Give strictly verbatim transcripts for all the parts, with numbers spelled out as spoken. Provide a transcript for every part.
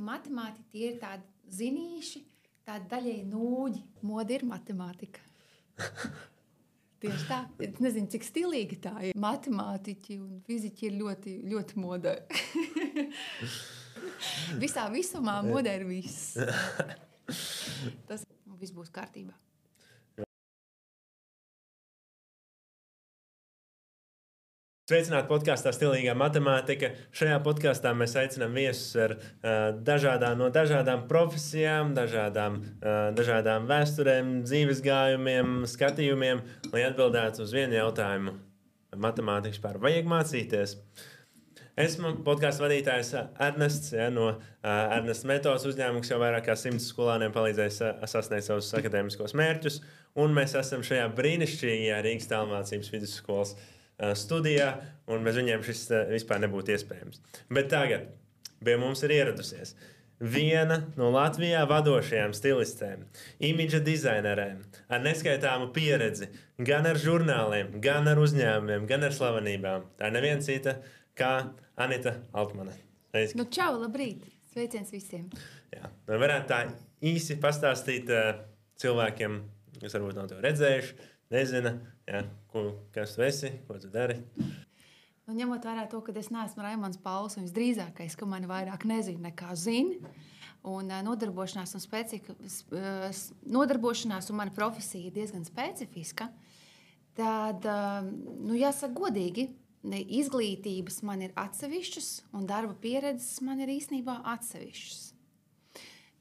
matemātiķi un matemātiķi tie ir tādi zinīši, tādi daļēji nūģi. Moda ir matemātika. Tieši tā. Es nezinu, cik stilīgi tā ir. Matemātiķi un fiziķi ir ļoti, ļoti modē. Visā visumā modē ir viss. Tas viss būs kārtībā. Sveicināti podkāstā Stilīgā matemātika. Šajā podkāstā mēs aicinām viesus ar uh, dažādām, no dažādām profesijām, dažādām, uh, dažādām vēsturēm, dzīves gājumiem, skatījumiem, lai atbildētu uz vienu jautājumu. Matemātikas pār vajag mācīties. Esmu podkāstu vadītājs Ernests, ja, no uh, Ernesta metodas uzņēmuma, kas jau vairāk kā simts skolāniem palīdzēs uh, sasniegt savus akadēmiskos mērķus, un mēs esam šajā brīnišķīgajā Rīgas tālmācības vidusskolas studijā, un bez viņiem šis vispār nebūtu iespējams. Bet tagad pie mums ir ieradusies viena no Latvijā vadošajām stilistēm, imidža dizainerēm, ar neskaitāmu pieredzi gan ar žurnāliem, gan ar uzņēmumiem, gan ar slavenībām. Tā ir neviena cita kā Anita Altmane. Nu, čau, labrīt! Sveiciens visiem! Jā, varētu tā īsi pastāstīt uh, cilvēkiem, kas varbūt nav to redzējuši, nezina, jā, ko, kas tu esi, ko tu dari. Nu, ņemot vērā to, ka es neesmu Raimons Pauls, un visdrīzākais, ka mani vairāk nezina nekā zina, un nodarbošanās un, specika, nodarbošanās un mana profesija ir diezgan specifiska, tad, nu, jāsaka godīgi, izglītības man ir atsevišķas, un darba pieredzes man ir īstenībā atsevišķas.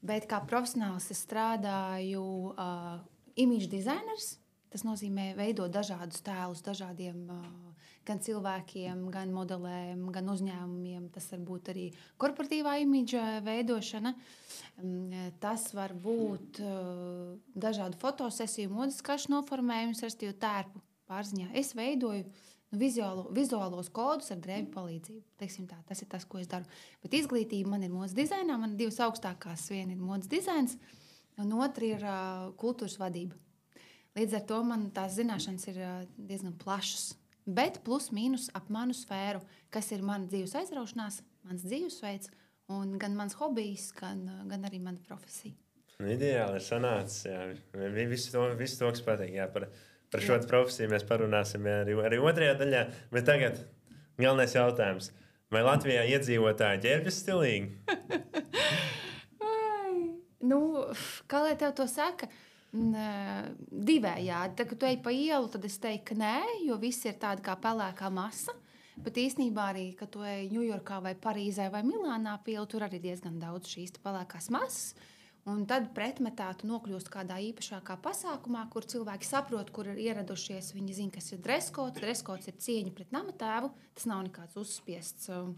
Bet kā profesionāls es strādāju uh, imidža dizainers. Tas nozīmē veidot dažādus tēlus dažādiem gan cilvēkiem, gan modelēm, gan uzņēmumiem. Tas var būt arī korporatīvā imidža veidošana. Tas var būt dažādu fotosesiju, modes kašu noformējums, respektīvi tērpu pārziņā. Es veidoju nu, vizuālo, vizuālos kodus ar drēbju palīdzību. Teiksim tā, tas ir tas, ko es daru. Bet izglītība man ir modes dizainā. Man ir divas augstākās. Viena ir modes dizains, un otra ir kultūras vadība. Līdz ar to man tās zināšanas ir diezgan plašas. Bet plus mīnus ap manu sfēru, kas ir mana dzīves aizraušanās, mans dzīvesveids, un gan mans hobijs, gan, gan arī mana profesija. Ideāli ir sanācis. Jā. Visu to, visu to kas patīk. Jā, par par šo profesiju mēs parunāsim arī, arī otrajā daļā. Bet tagad galvenais jautājums. Vai Latvijā iedzīvotāji ģērbjas stilīgi? nu, kā lai tev to saka? Divējādi. Tad, kad tu ej pa ielu, tad es teiktu, ka nē, jo visi ir tādi kā pelēkā masa. Bet īstenībā arī, kad tu ej Ņujorkā vai Parīzē vai Milānā pa ielu, tur arī diezgan daudz šīs pelēkās masas. Un tad pretmetā tu nokļūst kādā īpašākā pasākumā, kur cilvēki saprot, kur ir ieradušies. Viņi zina, kas ir dreskots. Dreskots ir cieņa pret namatēvu. Tas nav nekāds uzspiests um,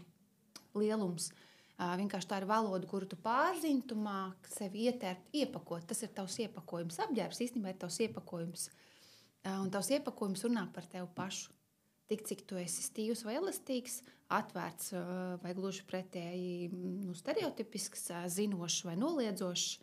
lielums. Uh, vienkārši tā ir valoda, kuru tu pārzini, tu māki sevi ietērpt, iepakot. Tas ir tavs iepakojums. Apģērbs īstenībā ir tavs iepakojums. Uh, un tavs iepakojums runā par tevi pašu. Tik, cik tu esi stīvs vai elastīgs, atvērts uh, vai gluži pretēji nu, stereotipisks, uh, zinošs vai noliedzošs.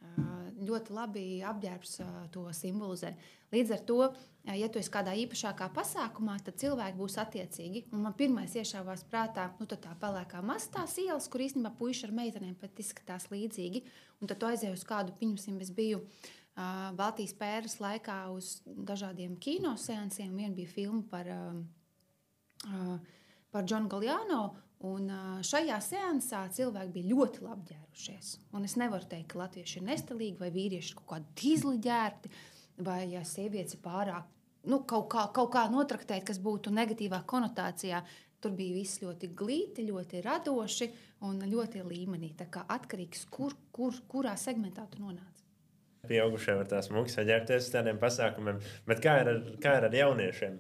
Uh, ļoti labi apģērbs uh, to simbolizē. Līdz ar to, uh, ja tu esi kādā īpašākā pasākumā, tad cilvēki būs attiecīgi. Un man pirmais iešāvās prātā, nu tad tā pelēkā masa tās ielas, kur īstenībā puiši ar meitenēm pat izskatās līdzīgi. Un tad tu aizēji uz kādu, pieņemsim, es biju uh, Baltijas pēras laikā uz dažādiem kinoseansiem. Vien bija filma par, uh, uh, par Džonu Galjāno. Un šajā seansā cilvēki bija ļoti labi ģērušies. Un es nevaru teikt, ka latvieši ir nestilīgi vai vīrieši kaut kādi dīzli ģērbti, vai ja sievietes ir pārāk nu, kaut, kā, kaut kā notraktēt, kas būtu negatīvā konotācijā. Tur bija viss ļoti glīti, ļoti radoši un ļoti līmenī. Tā kā atkarīgs, kur, kur, kurā segmentā tu nonāc. Pieaugušie var tās mugas saģērbties uz tādiem pasākumiem, bet kā ir ar, kā ir ar jauniešiem?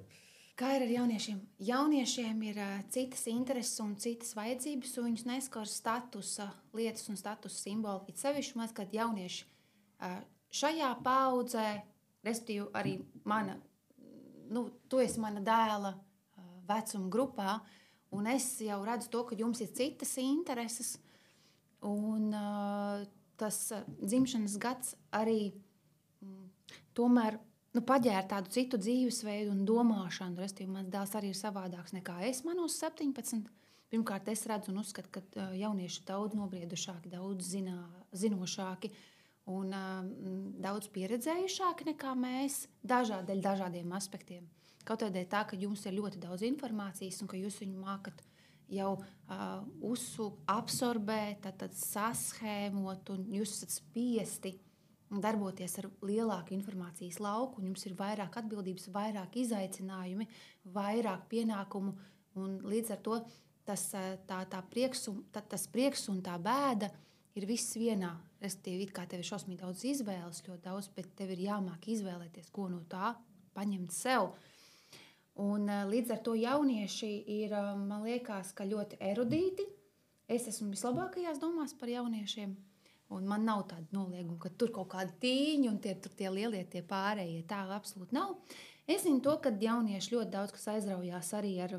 Kā ir ar jauniešiem? Jauniešiem ir uh, citas intereses un citas vajadzības, un viņus neskar statusa lietas un statusa simboli. It sevišķi maz, kad jaunieši uh, šajā paudzē, respektīvi arī mana, nu, tu esi mana dēla uh, vecuma grupā, un es jau redzu to, ka jums ir citas intereses, un uh, tas uh, dzimšanas gads arī mm, tomēr Nu, paģēra tādu citu dzīvesveidu un domāšanu. Restīvi, mans dēls arī ir savādāks nekā es manos septiņpadsmit. Pirmkārt, es redzu un uzskatu, ka jaunieši ir daudz nobriedušāki, daudz zinā, zinošāki un um, daudz pieredzējušāki nekā mēs dažādi, dažādiem aspektiem. Kaut arī tā, ka jums ir ļoti daudz informācijas un ka jūs viņu mākat jau uh, uzsūkt, absorbēt, tad, tad saschēmot, un jūs esat spiesti darboties ar lielāku informācijas lauku, un jums ir vairāk atbildības, vairāk izaicinājumi, vairāk pienākumu, un līdz ar to tas, tā, tā prieks, un, tā, tas prieks un tā bēda ir viss vienā. Respektīvi, it kā tev ir šausmīgi daudz izvēles, ļoti daudz, bet tev ir jāmāk izvēlēties, ko no tā paņemt sev. Un, līdz ar to jaunieši ir, man liekas, ka ļoti erudīti. Es esmu vislabākajās domās par jauniešiem. Un man nav tāda nolieguma, ka tur kaut kādi tīņi un tie, tie lielie, tie pārējie. Tā absolūti nav. Es zinu to, ka jaunieši ļoti daudz kas aizraujās arī ar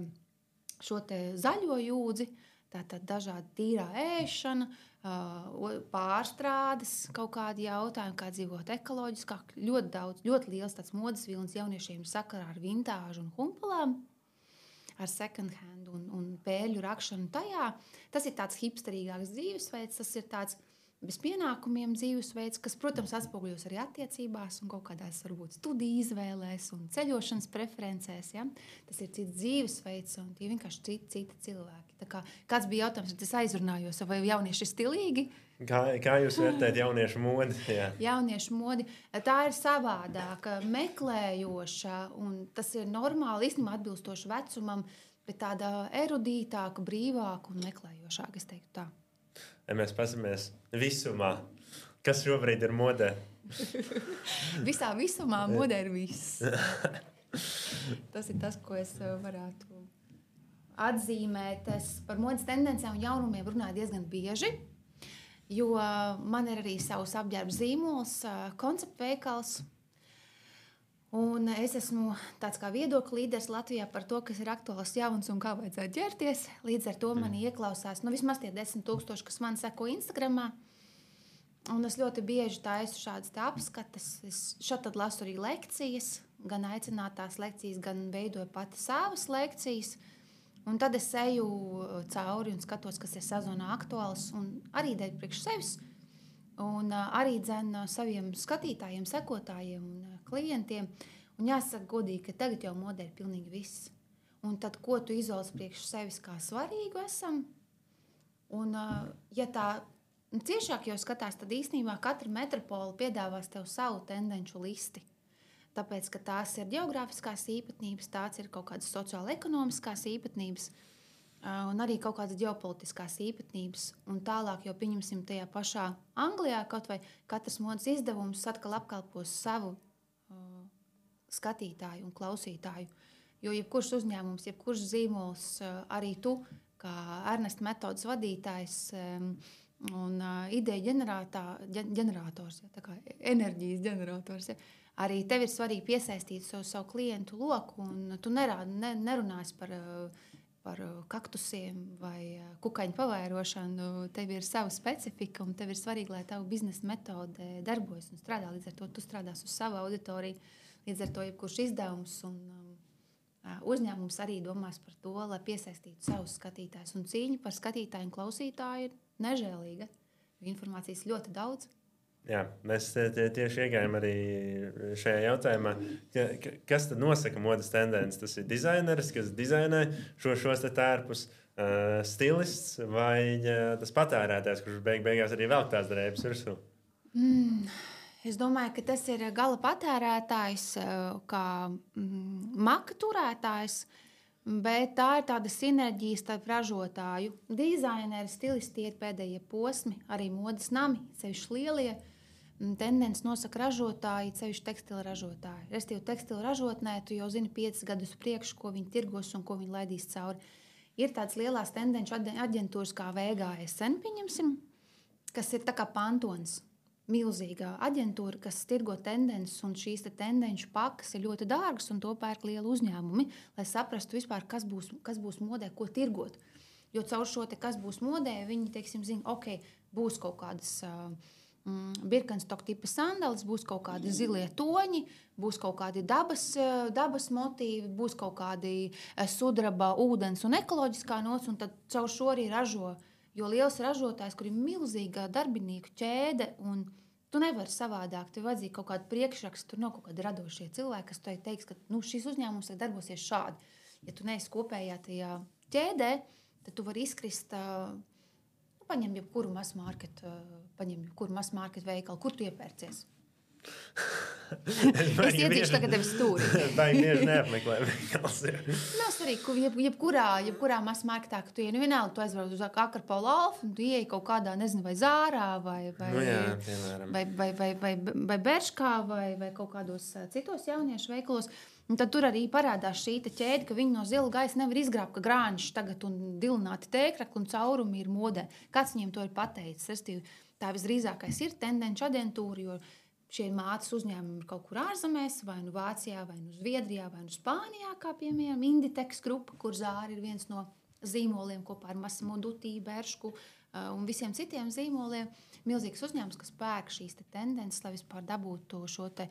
šo te zaļo jūdzi. Tātad dažādi tīrā ēšana, pārstrādes, kaut kādi jautājumi, kā dzīvot ekoloģiskāk. Ļoti daudz, ļoti liels tāds modes vilnis jauniešiem sakarā ar vintāžu un humpalām, ar second hand un, un pēļu rakšanu tajā. Tas ir tāds hipsterīgāks dzīvesveids, tas ir tāds bez pienākumiem dzīvesveids, kas, protams, atspoguļos arī attiecībās un kaut kādās varbūt studiju izvēlēs un ceļošanas preferencēs. Ja? Tas ir cits dzīvesveids un tie vienkārši citi, citi cilvēki. Tā kā, kāds bija jautājums, tad es aizrunājos, vai jaunieši ir stilīgi? Kā, kā jūs vērtējat jauniešu modi? Jā. Jauniešu modi, tā ir savādāka, meklējoša, un tas ir normāli, īstenībā atbilstoši vecumam, bet tāda erudītāka, brīvāka un meklējošāka, es teiktu tā. Ja mēs pasamies visumā, kas šobrīd ir modē? Visā visumā modē ir viss. Tas ir tas, ko es varētu atzīmēt. Es par modes tendencēm un jaunumiem runāju diezgan bieži, jo man ir arī savs apģērba zīmols, konceptveikals. Un es esmu tāds kā viedokļu līderis Latvijā par to, kas ir aktuāls jauns un kā vajadzētu ģērties. Līdz ar to mani ieklausās, nu vismaz tie desmit tūkstoši, kas man seko Instagramā. Un es ļoti bieži taisu šādas tā apskatas. Es šad tad lasu arī lekcijas, gan aicinātās lekcijas, gan veidoju pati savas lekcijas. Un tad es eju cauri un skatos, kas ir sezonā aktuāls un arī dēļ priekš sevis. Un arī dzen saviem skatītājiem, sekotājiem un klientiem. Un jāsaka godīgi, ka tagad jau modē ir pilnīgi viss. Un tad, ko tu izvēlies priekš sevis kā svarīgu esam? Un, ja tā ciešāk jau skatās, tad īstenībā katra metropola piedāvās tev savu tendenču listi. Tāpēc, ka tās ir geogrāfiskās īpatnības, tās ir kaut kādas sociāla-ekonomiskās īpatnības, un arī kaut kādas ģeopolitiskās īpatnības. Un tālāk jau pieņemsim tajā pašā Anglijā, kaut vai katrs modes izdevums atkal apkalpos savu uh, skatītāju un klausītāju. Jo jebkurš uzņēmums, jebkurš zīmols, uh, arī tu, kā Ernesta metodas vadītājs um, un uh, ideja ģenerators, ja, tā kā enerģijas ģenerators, ja, arī tev ir svarīgi piesaistīt savu, savu klientu loku, un tu nerā, ne, nerunāsi par uh, par kaktusiem vai kukaiņu pavairošanu. Tev ir sava specifika un tev ir svarīgi, lai tavu biznesa metode darbojas un strādā. Līdz ar to tu strādās uz savu auditoriju. Līdz ar to jebkurš izdevums un um, uzņēmums arī domās par to, lai piesaistītu savus skatītājus. Un cīņa par skatītāju un klausītāju ir nežēlīga. Informācijas ļoti daudz. Jā, mēs tie, tieši iegājām arī šajā jautājumā. Kas tad nosaka modes tendences? Tas ir dizaineris, kas dizainē šo, šos tērpus, uh, stilists vai uh, tas patērētājs, kurš beig, beigās arī velk tās drēbes virsū? Mm, es domāju, ka tas ir gala patērētājs, kā mm, maka turētājs, bet tā ir tāda sinerģija starp ražotāju. Dizaineri, stilisti ir pēdējie posmi, arī modes nami, sevišķi lielie. Tendences nosaka ražotāji, sevišķi tekstila ražotāji. Restīvi tekstila ražotnē tu jau zini piecus gadus priekš, ko viņi tirgos un ko viņi laidīs cauri. Ir tādas lielās tendenču aģentūras kā V G S N, pieņemsim, kas ir tā kā Pantons. Milzīgā aģentūra, kas tirgo tendences, un šīs te tendenču pakas ir ļoti dārgas, un to pērk lieli uzņēmumi, lai saprastu vispār, kas būs, kas būs modē, ko tirgot. Jo caur šo te, kas būs modē, viņi, teiksim, zina, ok, būs kaut kādas uh, mm, Birkenstock tipa sandalis, būs kaut kādi zilie toņi, būs kaut kādi dabas, dabas motīvi, būs kaut kādi sudraba, ūdens un ekoloģiskā nots, un tad caur šo arī ražo. Jo liels ražotājs, kur ir milzīga darbinieku ķēde, un tu nevari savādāk, tev vajadzīgi kaut kādu priekšrakstu, tur nav kaut kādi radošie cilvēki, kas tev teiks, ka nu, šis uzņēmums darbosies šādi. Ja tu neesi kopējā tajā ķēdē, tad tu vari izkrist, nu, paņem jebkuru mass market, paņem jebkuru mass market veikalu, kur tu iepērcies. es es ietīšu tagad tevi stūri. Baigi bieži neapmeklēju veikals. Nav svarīgi, jeb, jebkurā, jebkurā mass marketā, ka tu ieej, nu vienalga, tu aizbrauc uz Akarpolu Alfu, un tu ieej kaut kādā, nezinu, vai Zārā, vai, vai, nu jā, piemēram. vai, vai, vai, vai, vai Berškā, vai, vai kaut kādos citos jauniešu veikalos. Un tad tur arī parādās šī ķēde, ka viņi no zila gaisa nevar izgrābt, ka grāņš tagad un dilināti tēkrakli un caurumi ir modē. Kāds viņiem to ir pateicis? Restīvi, tā visdrīzākais ir tendenci aģentūra, jo šie mātes uzņēmumi ir kaut kur ārzemēs, vai nu Vācijā, vai nu Zviedrijā, vai nu Spānijā, kā piemēram Inditex grupa, kur Zāra ir viens no zīmoliem kopā ar Massimo Dutti, Beršku uh, un visiem citiem zīmoliem. Milzīgs uzņēmums, kas pērk šīs te tendences, lai vispār dabūtu šo te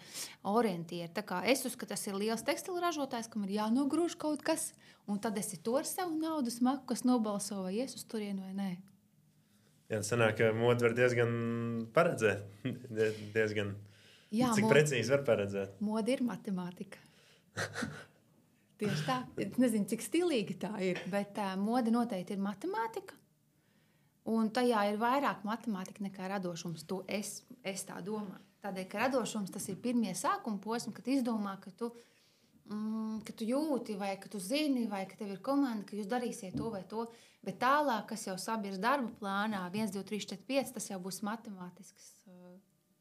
orientieru. Tā kā es uzskatu, tas ir liels tekstilu ražotājs, kam ir jānogrūž kaut kas, un tad esi to ar savu naudu smaku, kas nobalso vai ies uz turienu vai nē. Jā, sanāk, ka modu var diezgan paredzēt. diezgan... Jā, cik mod... precīzi var paredzēt? Moda ir matemātika. Tieši tā. Es nezinu, cik stilīgi tā ir, bet uh, moda noteikti ir matemātika. Un tajā ir vairāk matemātika nekā radošums. To es, es tā domāju. Tādēļ, ka radošums tas ir pirmie sākuma posmi, kad izdomā, ka tu, mm, ka tu jūti, vai ka tu zini, vai ka tev ir komanda, ka jūs darīsiet to vai to. Bet tālāk, kas jau sabirs darba plānā, viens, divi, trīs, četri, pieci, tas jau būs matemātisks uh,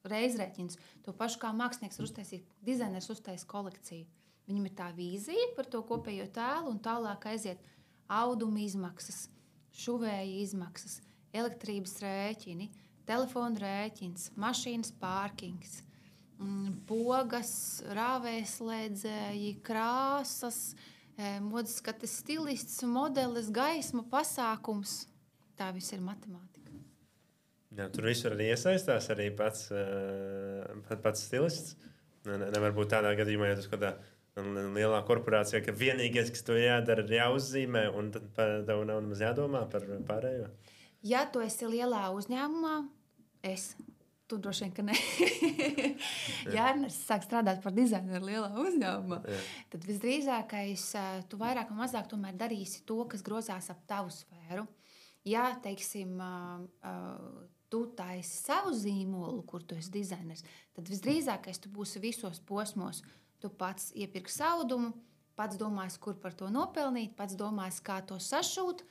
reizrēķins. To pašu kā mākslinieks var uztaisīt, dizainers uztais kolekciju. Viņam ir tā vīzija par to kopējo tēlu, un tālāk aiziet auduma izmaksas, šuvēja izmaksas, elektrības rēķini, telefona rēķins, mašīnas pārkings, pogas, rāvēslēdzēji, krāsas, modes skates stilists, modelis, gaisma, pasākums. Tā viss ir matemātika. Jā, tur visur arī iesaistās arī pats, pats stilists. Nevar būt tādā gadījumā, ja tu skatā lielā korporācijā, ka vienīgais, kas to jādara, ir jāuzzīmē, un tad tev nav nemaz jādomā par pārējo. Ja tu esi lielā uzņēmumā, es, tu droši vien, ka ne. Ja es sāku strādāt par dizaineru lielā uzņēmumā, Jā. Tad visdrīzākais tu vairāk un mazāk tomēr darīsi to, kas grozās ap tavu sfēru. Ja, teiksim, tu taisi savu zīmolu, kur tu esi dizainers, tad visdrīzākais tu būsi visos posmos. Tu pats iepirksi audumu, pats domās, kur par to nopelnīt, pats domās, kā to sašūt,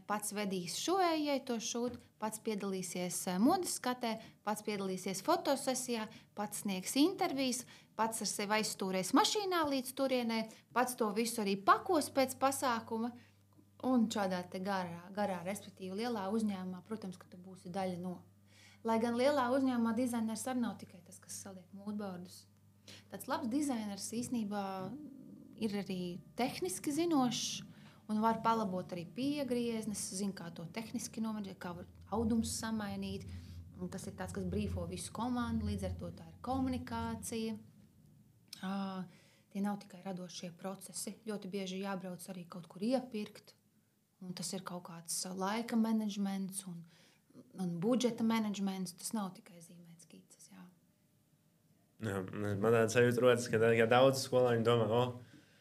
pats vedīs šovējai to šūt, pats piedalīsies modes skatē, pats piedalīsies fotosesijā, pats sniegs intervijas, pats ar sevi aizstūrēs mašīnā līdz turienē, pats to visu arī pakos pēc pasākuma. Un šādā te garā, garā, respektīvi lielā uzņēmumā, protams, ka tu būsi daļa no. Lai gan lielā uzņēmumā dizainers arī nav tikai tas, kas saliek mūdbordus. Tāds labs dizainers īstenībā ir arī tehniski zinošs un var palabot arī piegrieznes, zina, kā to tehniski nomaģēt, kā var audums samainīt. Un tas ir tāds, kas brīfo visu komandu, līdz ar to tā ir komunikācija. Uh, tie nav tikai radošie procesi. Ļoti bieži jābrauc arī kaut kur iepirkt. Un tas ir kaut kāds laika menedžments un, un budžeta menedžments. Tas nav tikai zīmēt skices, jā. Jā, man tāds sajūta rodas, ka ja daudz skolāņu domā, o,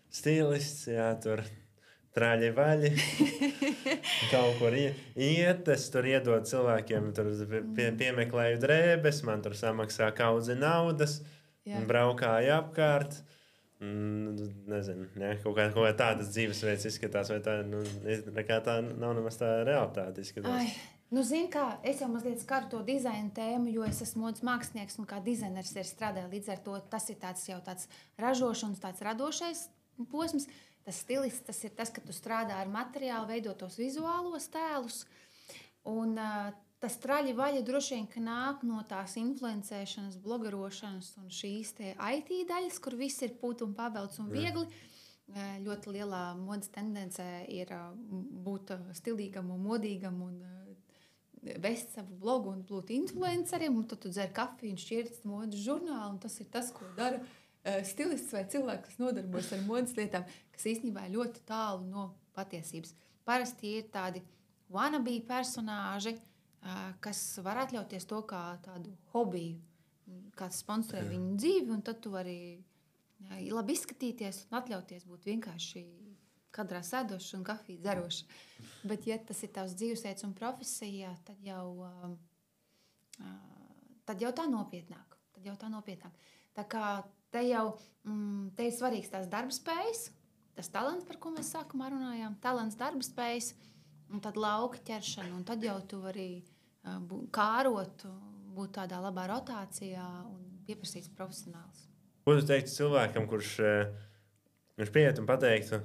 stilists, jā, tur trāļi vaļi, kaut kur iet, es tur iedod cilvēkiem, tur pie, piemeklēju drēbes, man tur samaksā kaudzi naudas, jā. Braukāju apkārt. Nezinu, ja, kaut, kā, kaut kā tādas dzīvesveids izskatās, vai tā, nu, nekā tā nav nemaz tā realitāte izskatās. Ai, nu, zini kā, es jau mazliet skaru to dizaina tēmu, jo es esmu modes mākslinieks un kā dizainers ir strādāju līdz ar to. Tas ir tāds jau tāds ražošanas, tāds radošais posms. Tas stilists, tas ir tas, ka tu strādā ar materiālu, veido tos vizuālos tēlus. Un uh, tas traļi vaļa droši vien, ka nāk no tās influencēšanas, blogerošanas un šīs te I T daļas, kur viss ir pūt un pavelts un viegli. Uh, ļoti lielā modas tendencē ir uh, būt uh, stilīgam un modīgam un uh, vest savu blogu un būt influenceriem, un tad tu dzer kafiju un šķirst modes žurnālu, un tas ir tas, ko dara uh, stilists vai cilvēks, kas nodarbojas ar modes lietām, kas īstenībā ir ļoti tālu no patiesības. Parasti ir tādi wannabe personāži, uh, kas var atļauties to kā tādu hobiju, kāds sponsorē viņu dzīvi, un tad tu vari uh, labi izskatīties un atļauties būt vienkārši kadrā sēdošs un kafiju dzerošs. Bet, ja tas ir tavs dzīvesveids un profesija, tad jau, uh, uh, tad jau tā nopietnāk. Tad jau tā nopietnāk. Tā kā te jau mm, te ir svarīgs tās darbspējas, tas talants, par ko mēs sākumā runājām, talants, darbspējas, un tad lauka ķeršana, un tad jau tu vari uh, būt, kārot, būt tādā labā rotācijā un pieprasīts profesionāls. Ko tu teiktu cilvēkam, kurš, kurš pieiet un pateiktu,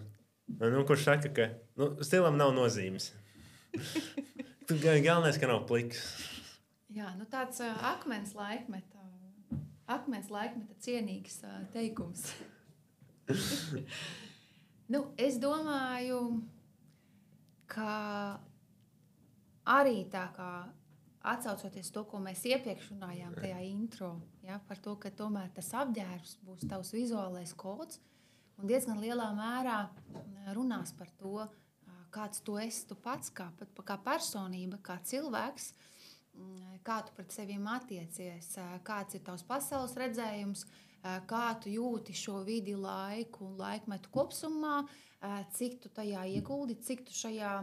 nu, kurš saka, ka nu, stilam nav nozīmes. Galvenais, ka nav pliks. Jā, nu tāds uh, akmens laikmeta, akmens laikmeta cienīgs uh, teikums. nu, es domāju, ka arī tā kā atsaucoties to, ko mēs iepriekš runājām tajā intro, ja, par to, ka tomēr tas apģērbs būs tavs vizuālais kods, un diezgan lielā mērā runās par to, kāds tu esi tu pats, kā, kā personība, kā cilvēks, kā tu pret seviem attiecies, kāds ir tavs pasaules redzējums, kā tu jūti šo vidi, laiku un laikmetu kopsumā, cik tu tajā ieguldi, cik tu šajā,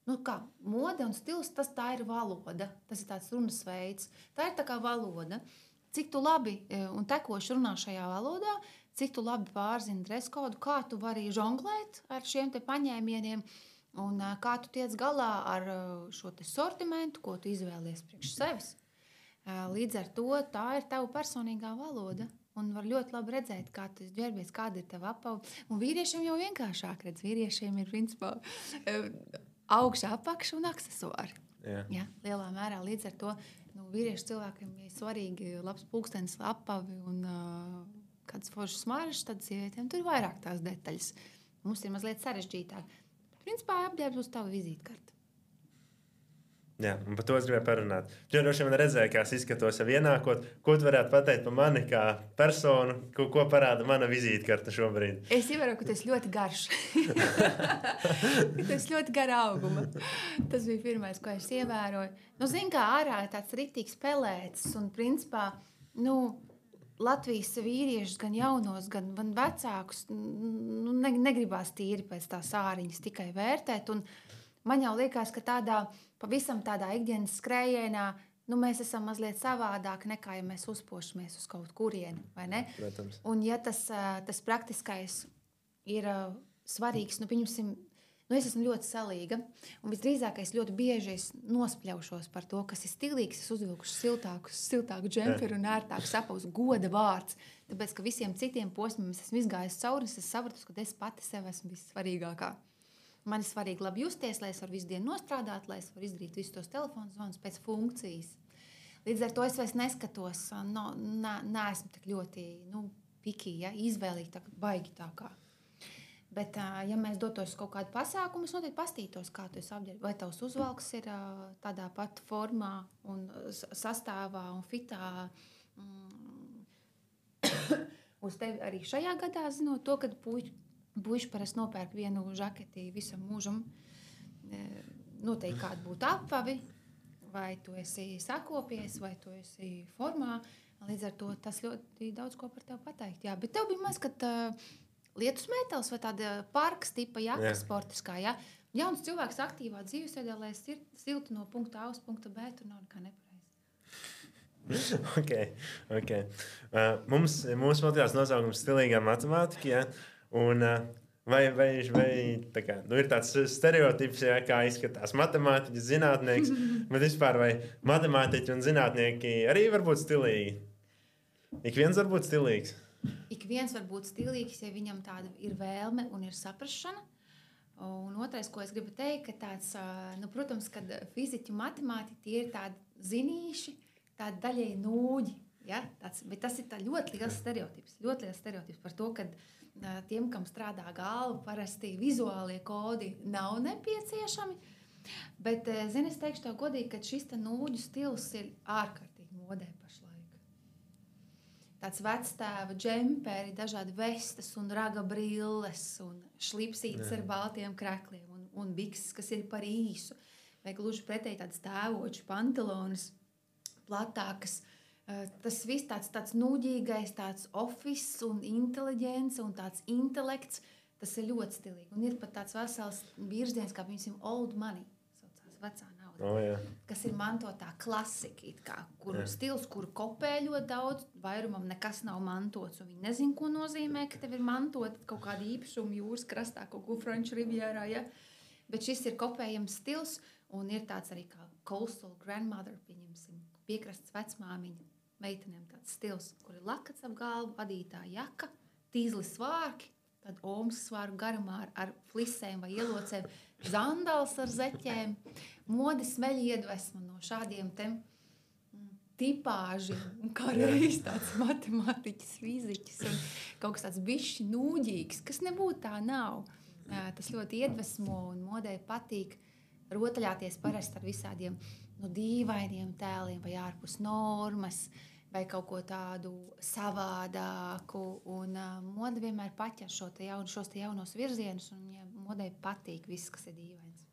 nu kā, mode un stils, tas tā ir valoda, tas ir tāds runas veids, tā ir tā kā valoda, cik tu labi un tekoši runā šajā valodā, cik tu labi pārzini dreskodu, kā tu vari žonglēt ar šiem te paņēmieniem un kā tu tiec galā ar šo te sortimentu, ko tu izvēlies priekš sevis. Līdz ar to tā ir tava personīgā valoda un var ļoti labi redzēt, kā tu ģērbies, kāda ir tava apava. Un vīriešiem jau vienkāršāk redz, vīriešiem ir principā augšā, apakša un aksesuāri. Jā. Ja, lielā mērā līdz ar to nu, vīriešu cilvēkiem ir svarīgi labs pulkstenis, apavi un uh, kādas foršas smaržas, tad sievietēm tur ir vairāk tās detaļas. Mums ir mazliet sarežģītāk. Principā apģērbs uz tavu vizītkarte. Jā, un par to es gribēju parunāt. Tu droši vien redzēji, kā es izskatos jau ienākot. Ko tu varētu pateikt par mani kā personu, ko, ko parāda mana vizītkarte šobrīd? Es ievēroju, ka tu esi ļoti garš. Tu esi ļoti gara auguma. Tas bija pirmais, ko es ievēroju. Nu, zin, kā ārā ir tāds riktīgs pelēcis un principā, nu, Latvijas vīriešus, gan jaunos, gan, gan vecākus, nu, ne, negribās tīri pēc tās āriņas tikai vērtēt. Un man jau liekas, ka tādā, pavisam tādā ikdienas skrējienā, nu, mēs esam mazliet savādāk nekā, ja mēs uzpošamies uz kaut kurieni, vai ne? Protams. Un ja tas, tas praktiskais ir svarīgs, nu, pieņemsim, nu, es esmu ļoti salīga, un visdrīzāk es ļoti bieži es nospļaušos par to, kas ir stilīgs, es uzvilkuši siltāku, siltāku džemperu un ērtāku sapausu, goda vārds, tāpēc, ka visiem citiem posmiem es esmu izgājis cauri, es sapratu, ka es pati sev esmu vissvarīgākā. Man ir svarīgi labi justies, lai es varu visu dienu nostrādāt, lai es varu izdarīt visus tos telefonu zvanus pēc funkcijas. Līdz ar to es vairs neskatos, no, nē, neesmu tik ļoti, nu, pikī, ja, izvēlīgi, tā, baigi tā kā. Bet, ja mēs dotos kaut kādu pasākumu, es noteikti pastītos, kā tu esi apģērbi. Vai tavs uzvalks ir tādā pat formā un sastāvā un fitā mm, uz tevi arī šajā gadā, zinot to, ka puiši, puiši parasti nopērk vienu žaketi visam mūžam. Noteikti kādu būtu apavi, vai tu esi sakopies, vai tu esi formā. Līdz ar to tas ļoti daudz ko par tevi pateikt. Jā, bet tev bija maz, kad lietus mētels vai tāda parkas tipa jaka, sportiskā, ja? Jauns cilvēks aktīvā dzīvesveidē, lai ir silti no punkta A uz punkta B, tur nav nekā nepareizi. ok, ok. Uh, mums, mūsu podcasts nosaukums stilīgā matemātika, ja? Un uh, vai, vai, vai tā kā, nu ir tāds stereotips, ja, kā izskatās matemātiķis, zinātnieks, bet vispār vai matemātiķi un zinātnieki arī var būt stilīgi? Ik viens var būt stilīgs? Ik viens var būt stilīgs, ja viņam tāda ir vēlme un ir saprašana. Un otrais, ko es gribu teikt, ka tāds, nu, protams, kad fiziķi un matemātiķi ir tādi zinīši, tādi daļēji nūģi, ja? Tāds, bet tas ir tā ļoti liels stereotips, ļoti liels stereotips par to, ka tiem, kam strādā galva, parasti vizuālie kodi nav nepieciešami. Bet, zini, es teikšu tev godīgi, ka šis te nūģu stils ir ārkārtīgi modē pašlaik. Tāds vectēva džemperi, dažādi vestas un raga brilles un šlipsītes ar baltiem krekliem un, un bikses, kas ir par īsu. Vai gluži pretēji tādas tēvoču pantalonas, platākas. Tas viss tāds, tāds nūģīgais, tāds office un inteliģence un tāds intelekts, tas ir ļoti stilīgi. Un ir pat tāds vesels virziens, kā piemēram old money, saucās vecā nauda, oh, jā. kas ir mantotā klasika, it kā, kuru jā. Stils, kuru kopē ļoti daudz, vairumam nekas nav mantots, un viņi nezin, ko nozīmē, ka tev ir mantot kaut kāda īpašuma jūras krastā, kaut ko Franču rivjērā, ja? Bet šis ir kopējams stils, un ir tāds arī kā coastal grandmother, pieņemsim, piekrasts vecmāmiņa, meitenēm tāds stils, kur ir lakats ap galvu, adītā jaka, tīzli svārki, tad omas svāru garumā ar, ar flisēm vai ielocēm, zandals ar zeķēm, modes smeļ iedvesma no šādiem te tipāži, un kā reiz tāds matemātiķis, fiziķis un kaut kas tāds bišķi nūģīgs, kas nebūtu tā nav. Tas ļoti iedvesmo un modei patīk rotaļāties parasti ar visādiem no dīvainiem tēliem vai ārpus normas, vai kaut ko tādu savādāku. Un uh, moda vienmēr paķer šo te jaun, šos te jaunos virzienus, un ja modei patīk viss, kas ir dīvains.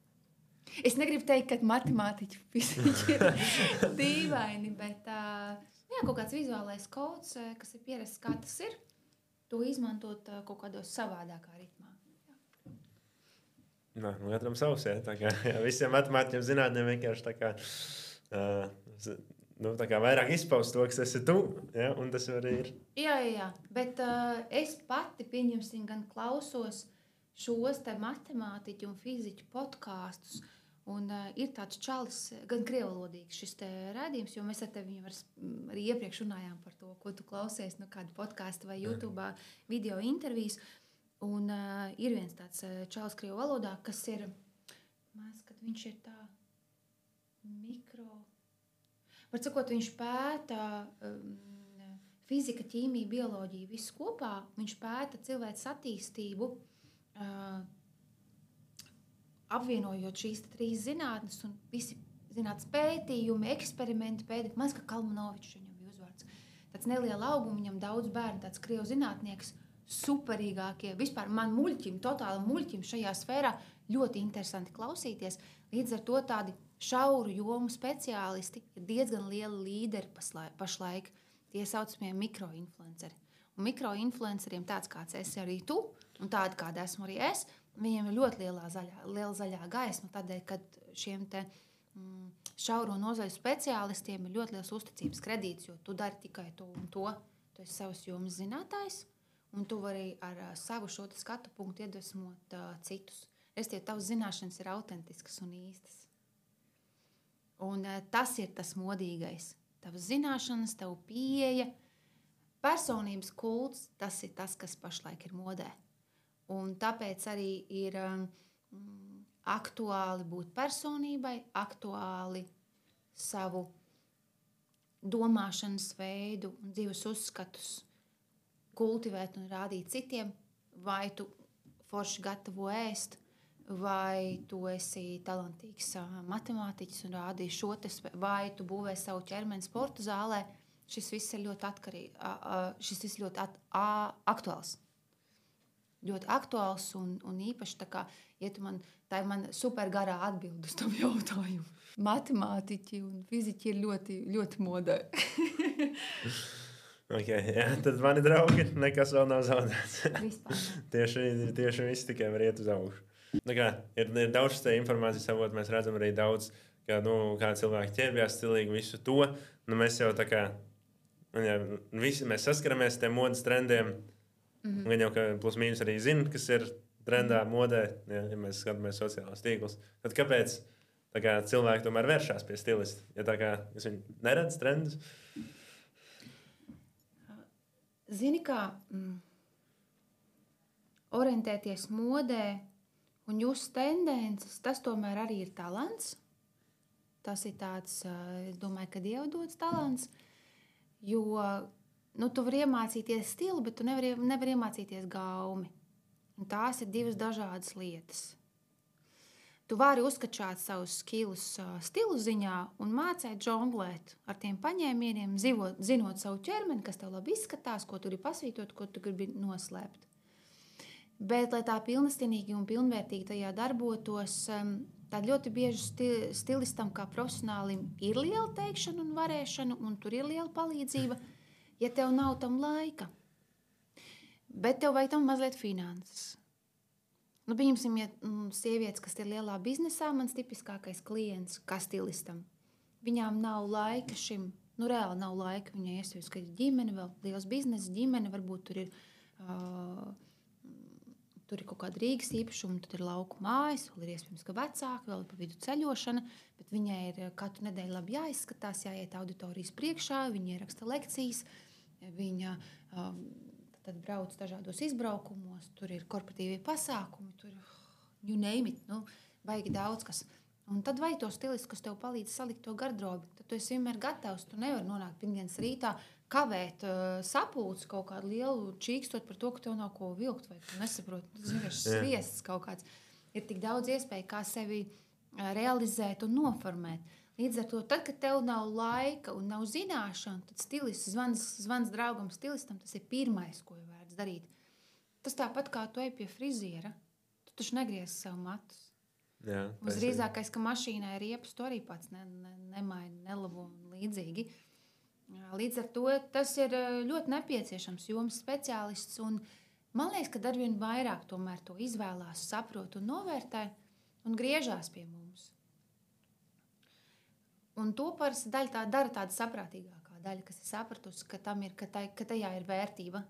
Es negribu teikt, ka matemātiķi fiziķi ir dīvaini, bet uh, jā, kaut kāds vizuālais kods, kas ir pierasts, kā tas ir, to izmantot uh, kaut kādos savādākā ritmā. Nā, nu, katram savs, jā. Tā kā, jā, visiem matemātiķiem zinātnēm vienkārši tā kā, uh, nu, tā kā vairāk izpaust to, kas esi tu, jā, un tas arī ir. Jā, jā, jā. Bet uh, es pati, pieņemsim, gan klausos šos te matemātiķu un fiziķu podkāstus, un uh, ir tāds čalis, gan krievalodīgs šis te rādījums, jo mēs ar tevi var, arī iepriekš runājām par to, ko tu klausies no kāda podkāsta vai YouTube video intervijas. Un uh, ir viens tāds uh, čalis krievu valodā, kas ir, mēs, kad viņš ir tā mikro... Var sakot, viņš pēta um, fizika, ķīmija, bioloģija, visu kopā. Viņš pēta cilvēces attīstību, uh, apvienojot šīs trīs zinātnes, un visi zinātnes pētījumi, eksperimenti pētījumi. Man kā Kalmanovičs viņam bija uzvārds. Tāds neliela auguma, viņam daudz bērnu, tāds krievu zinātnieks, superīgākie, vispār man muļķim, totāli muļķim šajā sfērā ļoti interesanti klausīties. Līdz ar to tādi šauru jomu speciālisti ir diezgan lieli līderi pašlaik, tie saucamie mikroinfluenceri. Un mikroinfluenceriem tāds, kāds esi arī tu, un tādi, kāda esmu arī es, viņiem ir ļoti lielā zaļā, liela zaļā gaisma, tādēļ, kad šiem te mm, šauro nozaļu speciālistiem ir ļoti liels uzticības kredīts, jo tu dari tikai to un to, tu esi savas jomas zinātājs, un tu vari ar uh, savu šo skatu punktu iedvesmot uh, citus. Restīvi, tavas zināšanas ir autentiskas un īstas. Un uh, tas ir tas modīgais. Tavas zināšanas, tavu pieeja, personības kults, tas ir tas, kas pašlaik ir modē. Un tāpēc arī ir um, aktuāli būt personībai, aktuāli savu domāšanas veidu un dzīves uzskatus kultivēt un rādīt citiem, vai tu forši gatavo ēst, vai tu esi talantīgs matemātiķis un rādi šo te, vai tu būvē savu ķermeni sporta zālē. Šis viss ir ļoti atkarīgi, šis viss ļoti at, a, aktuāls. Ļoti aktuāls un, un īpaši tā kā, ja tu man, tā ir man super garā atbildi uz tam jautājumu. Matemātiķi un fiziķi ir ļoti, ļoti modē. Okay, jā, tad mani draugi, nekas vēl nav zaudēts. tieši, tieši viss tikai var iet uz augšu. Kā, ir, ir daudz te informācijas avot, mēs redzam arī daudz, kā, nu, kā cilvēki ķērbjās stilīgi visu to. Nu, mēs jau tā kā, jā, visi mēs saskaramies tiem modas trendiem. Mm-hmm. Gan jau, ka plus mīnus arī zina, kas ir trendā modē, ja, ja mēs skatāmies sociālās tīklus. Tad kāpēc tā kā, cilvēki tomēr vēršās pie stilista? Ja tā kā jūs viņi neredz trendus? Zini, kā mm, orientēties modē un just tendences, tas tomēr arī ir talants. Tas ir tāds, es domāju, ka Dieva dots talants, jo nu, tu vari iemācīties stilu, bet tu nevari, nevari iemācīties gaumi. Un tās ir divas dažādas lietas. Tu vari uzskačāt savus skillus uh, stilu ziņā un mācīt žonglēt ar tiem paņēmieniem, zivot, zinot savu ķermeni, kas tev labi izskatās, ko tu gribi pasvītot, ko tu gribi noslēpt. Bet, lai tā pilnestienīgi un pilnvērtīgi tajā darbotos, um, tad ļoti bieži sti stilistam kā profesionālim ir liela teikšana un varēšana, un tur ir liela palīdzība, ja tev nav tam laika. Bet tev vajag tam mazliet finanses. Nu, pieņemsim, ja sievietes, kas ir lielā biznesā, mans tipiskākais klients, kā stilistam. Viņām nav laika šim, nu reāli nav laika. Viņai iespējams, ka ir ģimene, vēl liels biznesa ģimene, varbūt tur ir, uh, tur ir kaut kāda Rīgas īpašuma, tad ir lauku mājas, vēl ir iespējams, ka vecāki, vēl ir pa vidu ceļošana, bet viņai ir katru nedēļu labi jāizskatās, jāiet auditorijas priekšā, viņa ieraksta lekcijas, viņa... Um, Tad brauc dažādos izbraukumos, tur ir korporatīvie pasākumi, tur you name it, nu, baigi daudz kas. Un tad vajag to stilistu, kas tev palīdz salikt to garderobi. Tad tu esi vienmēr gatavs, tu nevari nonākt pirmdienas rītā, kavēt uh, sapulci kaut kādu lielu čīkstot par to, ka tev nav ko vilkt, vai tu nesaproti, tas vienkārši sviests kaut kāds. Ir tik daudz iespēju, kā sevi uh, realizēt un noformēt. Līdz ar to, tad, kad tev nav laika un nav zināšana, tad stilists, zvans, zvans draugam stilistam, tas ir pirmais, ko ir vērts darīt. Tas tāpat kā tu ej pie friziera, tu taču negriezi sev matus. Jā, Visdrīzākais, ka mašīnā ir riepas, tu arī pats ne, ne, nemaini, nelabo un līdzīgi. Līdz ar to tas ir ļoti nepieciešams jomas speciālists, un man liekas, ka arvien vairāk tomēr to izvēlās, saprot un novērtē un griežās pie mums. Un to parasti daļa tā, dara tāda saprātīgākā daļa, kas ir sapratusi, ka, tam ir, ka, tai, ka tajā ir vērtība.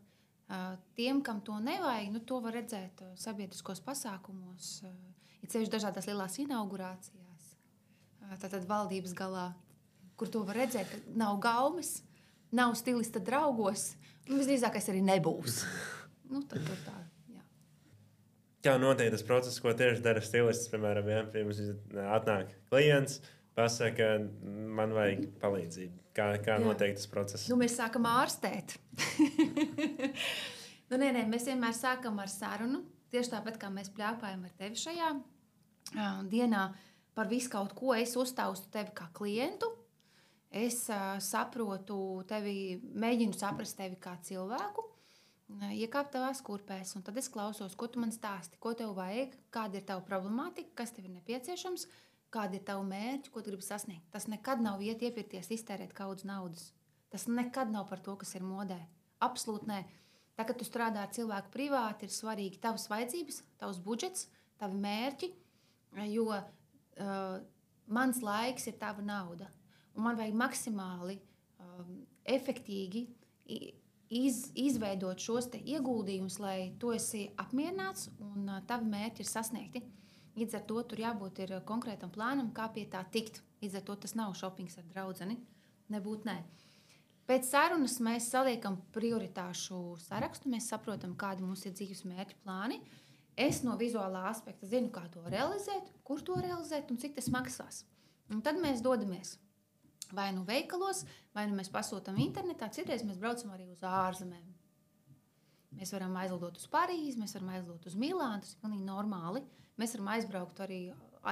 Uh, tiem, kam to nevajag, nu, to var redzēt uh, sabiedriskos pasākumos, uh, ir ceļš dažādās lielās inaugurācijās, uh, tātad valdības galā, kur to var redzēt, ka nav gaumes, nav stilista draugos, un visdrīzākais arī nebūs. Nu, tad tur tā, jā. Kā notiek tas process, ko tieši dara stilists, piemēram, ja pirms atnāk klients, pasaka, man vajag palīdzību. Kā, kā notiek tas process? Nu, mēs sākam ārstēt. nu, nē, nē, mēs vienmēr sākam ar sarunu. Tieši tāpat, kā mēs pļāpājam ar tevi šajā uh, dienā par visu kaut ko, es uztaustu tevi kā klientu. Es uh, saprotu tevi, mēģinu saprast tevi kā cilvēku, uh, iekāpt tavās kurpēs, un tad es klausos, ko tu man stāsti, ko tev vajag, kāda ir tava problemātika, kas tev ir nepieciešams, kādi ir tavi mērķi, ko tu gribi sasniegt. Tas nekad nav iet iepirkties, iztērēt kaudz naudas. Tas nekad nav par to, kas ir modē. Absolūti nē. Tā, kad tu strādā ar cilvēku privāti, ir svarīgi tavas vajadzības, tavs budžets, tavi mērķi, jo uh, mans laiks ir tava nauda. Un man vajag maksimāli um, efektīgi iz, izveidot šos te ieguldījumus, lai tu esi apmierināts un uh, tavi mērķi ir sasniegti. Līdz ar to tur jābūt ir konkrētam plānam, kā pie tā tikt. Līdz ar to tas nav šopings ar draudzeni. Nebūt nē. Pēc sarunas mēs saliekam prioritāšu sarakstu, mēs saprotam, kādi mums ir dzīves mērķi plāni. Es no vizuālā aspekta zinu, kā to realizēt, kur to realizēt un cik tas maksās. Un tad mēs dodamies vai nu veikalos, vai nu mēs pasūtam internetā, citreiz mēs braucam arī uz ārzemēm. Mēs varam aizlidot uz Parīzi, mēs varam aizlidot uz Milānu, tas ir pilnīgi normāli. Mēs varam aizbraukt arī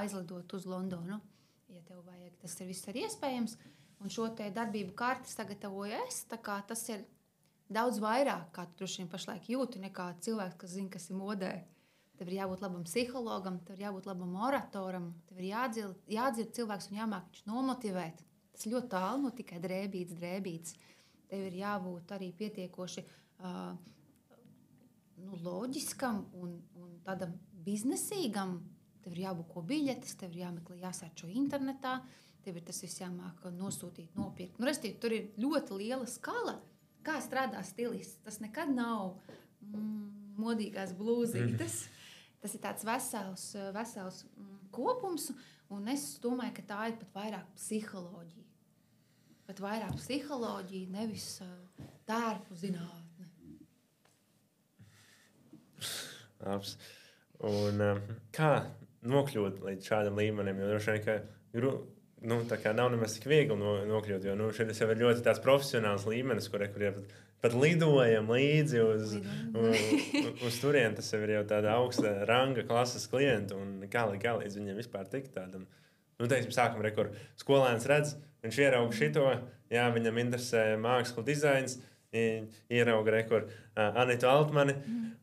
aizlidot uz Londonu, ja tev vajag. Tas ir viss arī iespējams. Un šo te darbību karti sagatavoju es, tā kā tas ir daudz vairāk, kā tu droši vien pašlaik jūti, nekā cilvēks, kas zina, kas ir modē. Tev ir jābūt labam psihologam, tev ir jābūt labam oratoram, tev ir jādzird, jādzird cilvēks un jāmāk viņš nomotivēt. Tas ļoti tālu no tikai drēbīts, drēbīts. Tev ir jābūt arī pietiekoši uh, nu, loģiskam un, un tādam biznesīgam. Tev ir jābūt ko biļetes, tev ir jāmeklē, jāsērčo internetā, tev ir tas viss jāmāk nosūtīt, nopirkt. Nu, restīvi, tur ir ļoti liela skala, kā strādā stilists. Tas nekad nav mm, modīgās blūzītes. Mm. Tas ir tāds vesels, vesels mm, kopums, un es domāju, ka tā ir pat vairāk psiholoģija. Pat vairāk psiholoģija, nevis uh, tērpu zinātne. Labs. Un um, kā nokļūt līdz šādam līmenim? Jo droši vien, ka gru, nu, tā kā nav nemaz tik viegli no, nokļūt, jo nu, šeit jau ir ļoti tāds profesionāls līmenis, kur, kur jau pat, pat lidojam līdzi uz, uz, uz turieni. Tas jau ir jau tāda augsta ranga klases klienta, un kā, kā līdz viņiem vispār tikt tādam. Nu, teiksim, sākam re, kur skolēns redz, viņš ierauga šito, jā, viņam interesē māksla dizains, ierauga re, kur uh, Anitu Altmani,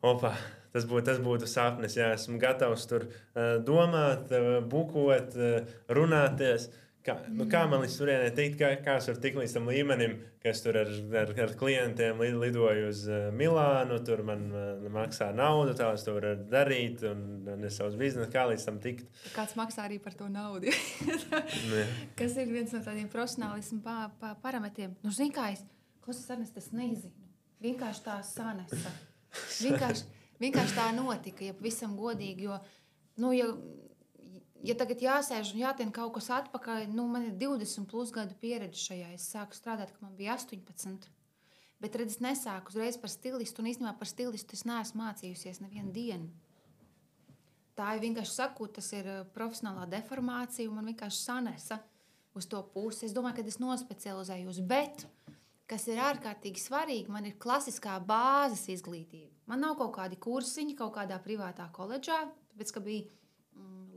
opa, tas būtu, tas būtu sapnis, jā, esmu gatavs tur uh, domāt, uh, bukot, uh, runāties. Kā, nu, kā man līdz turienei tikt, kā, kā es varu tikt līdz tam līmenim, ka es tur ar, ar, ar klientiem lidoju uz uh, Milānu, tur man uh, maksā naudu, tā es to varu darīt, un, un es savus biznesu, kā līdz tam tikt. Kāds maksā arī par to naudu, kas ir viens no tādiem profesionālismu pa, pa parametriem. Nu, zini, kā es, klausies, Ernest, es nezinu. Vienkārši tā sanesa. Vienkārši, vienkārši tā notika, ja pavisam godīgi, jo, nu, ja, ja tagad jāsēž un jātien kaut kas atpakaļ, nu, man ir divdesmit plus gadu pieredze šajā. Es sāku strādāt, kad man bija astoņpadsmit. Bet, redz, es nesāku uzreiz par stilistu, un īstenībā par stilistu es neesmu mācījusies nevienu dienu. Tā ir vienkārši sakot, tas ir profesionālā deformācija, un man vienkārši sanesa uz to pusi. Es domāju, ka es nospecializējos, bet, kas ir ārkārtīgi svarīgi, man ir klasiskā bāzes izglītība. Man nav kaut kādi kursiņi kaut kādā privātā koledžā, tāpēc, ka bija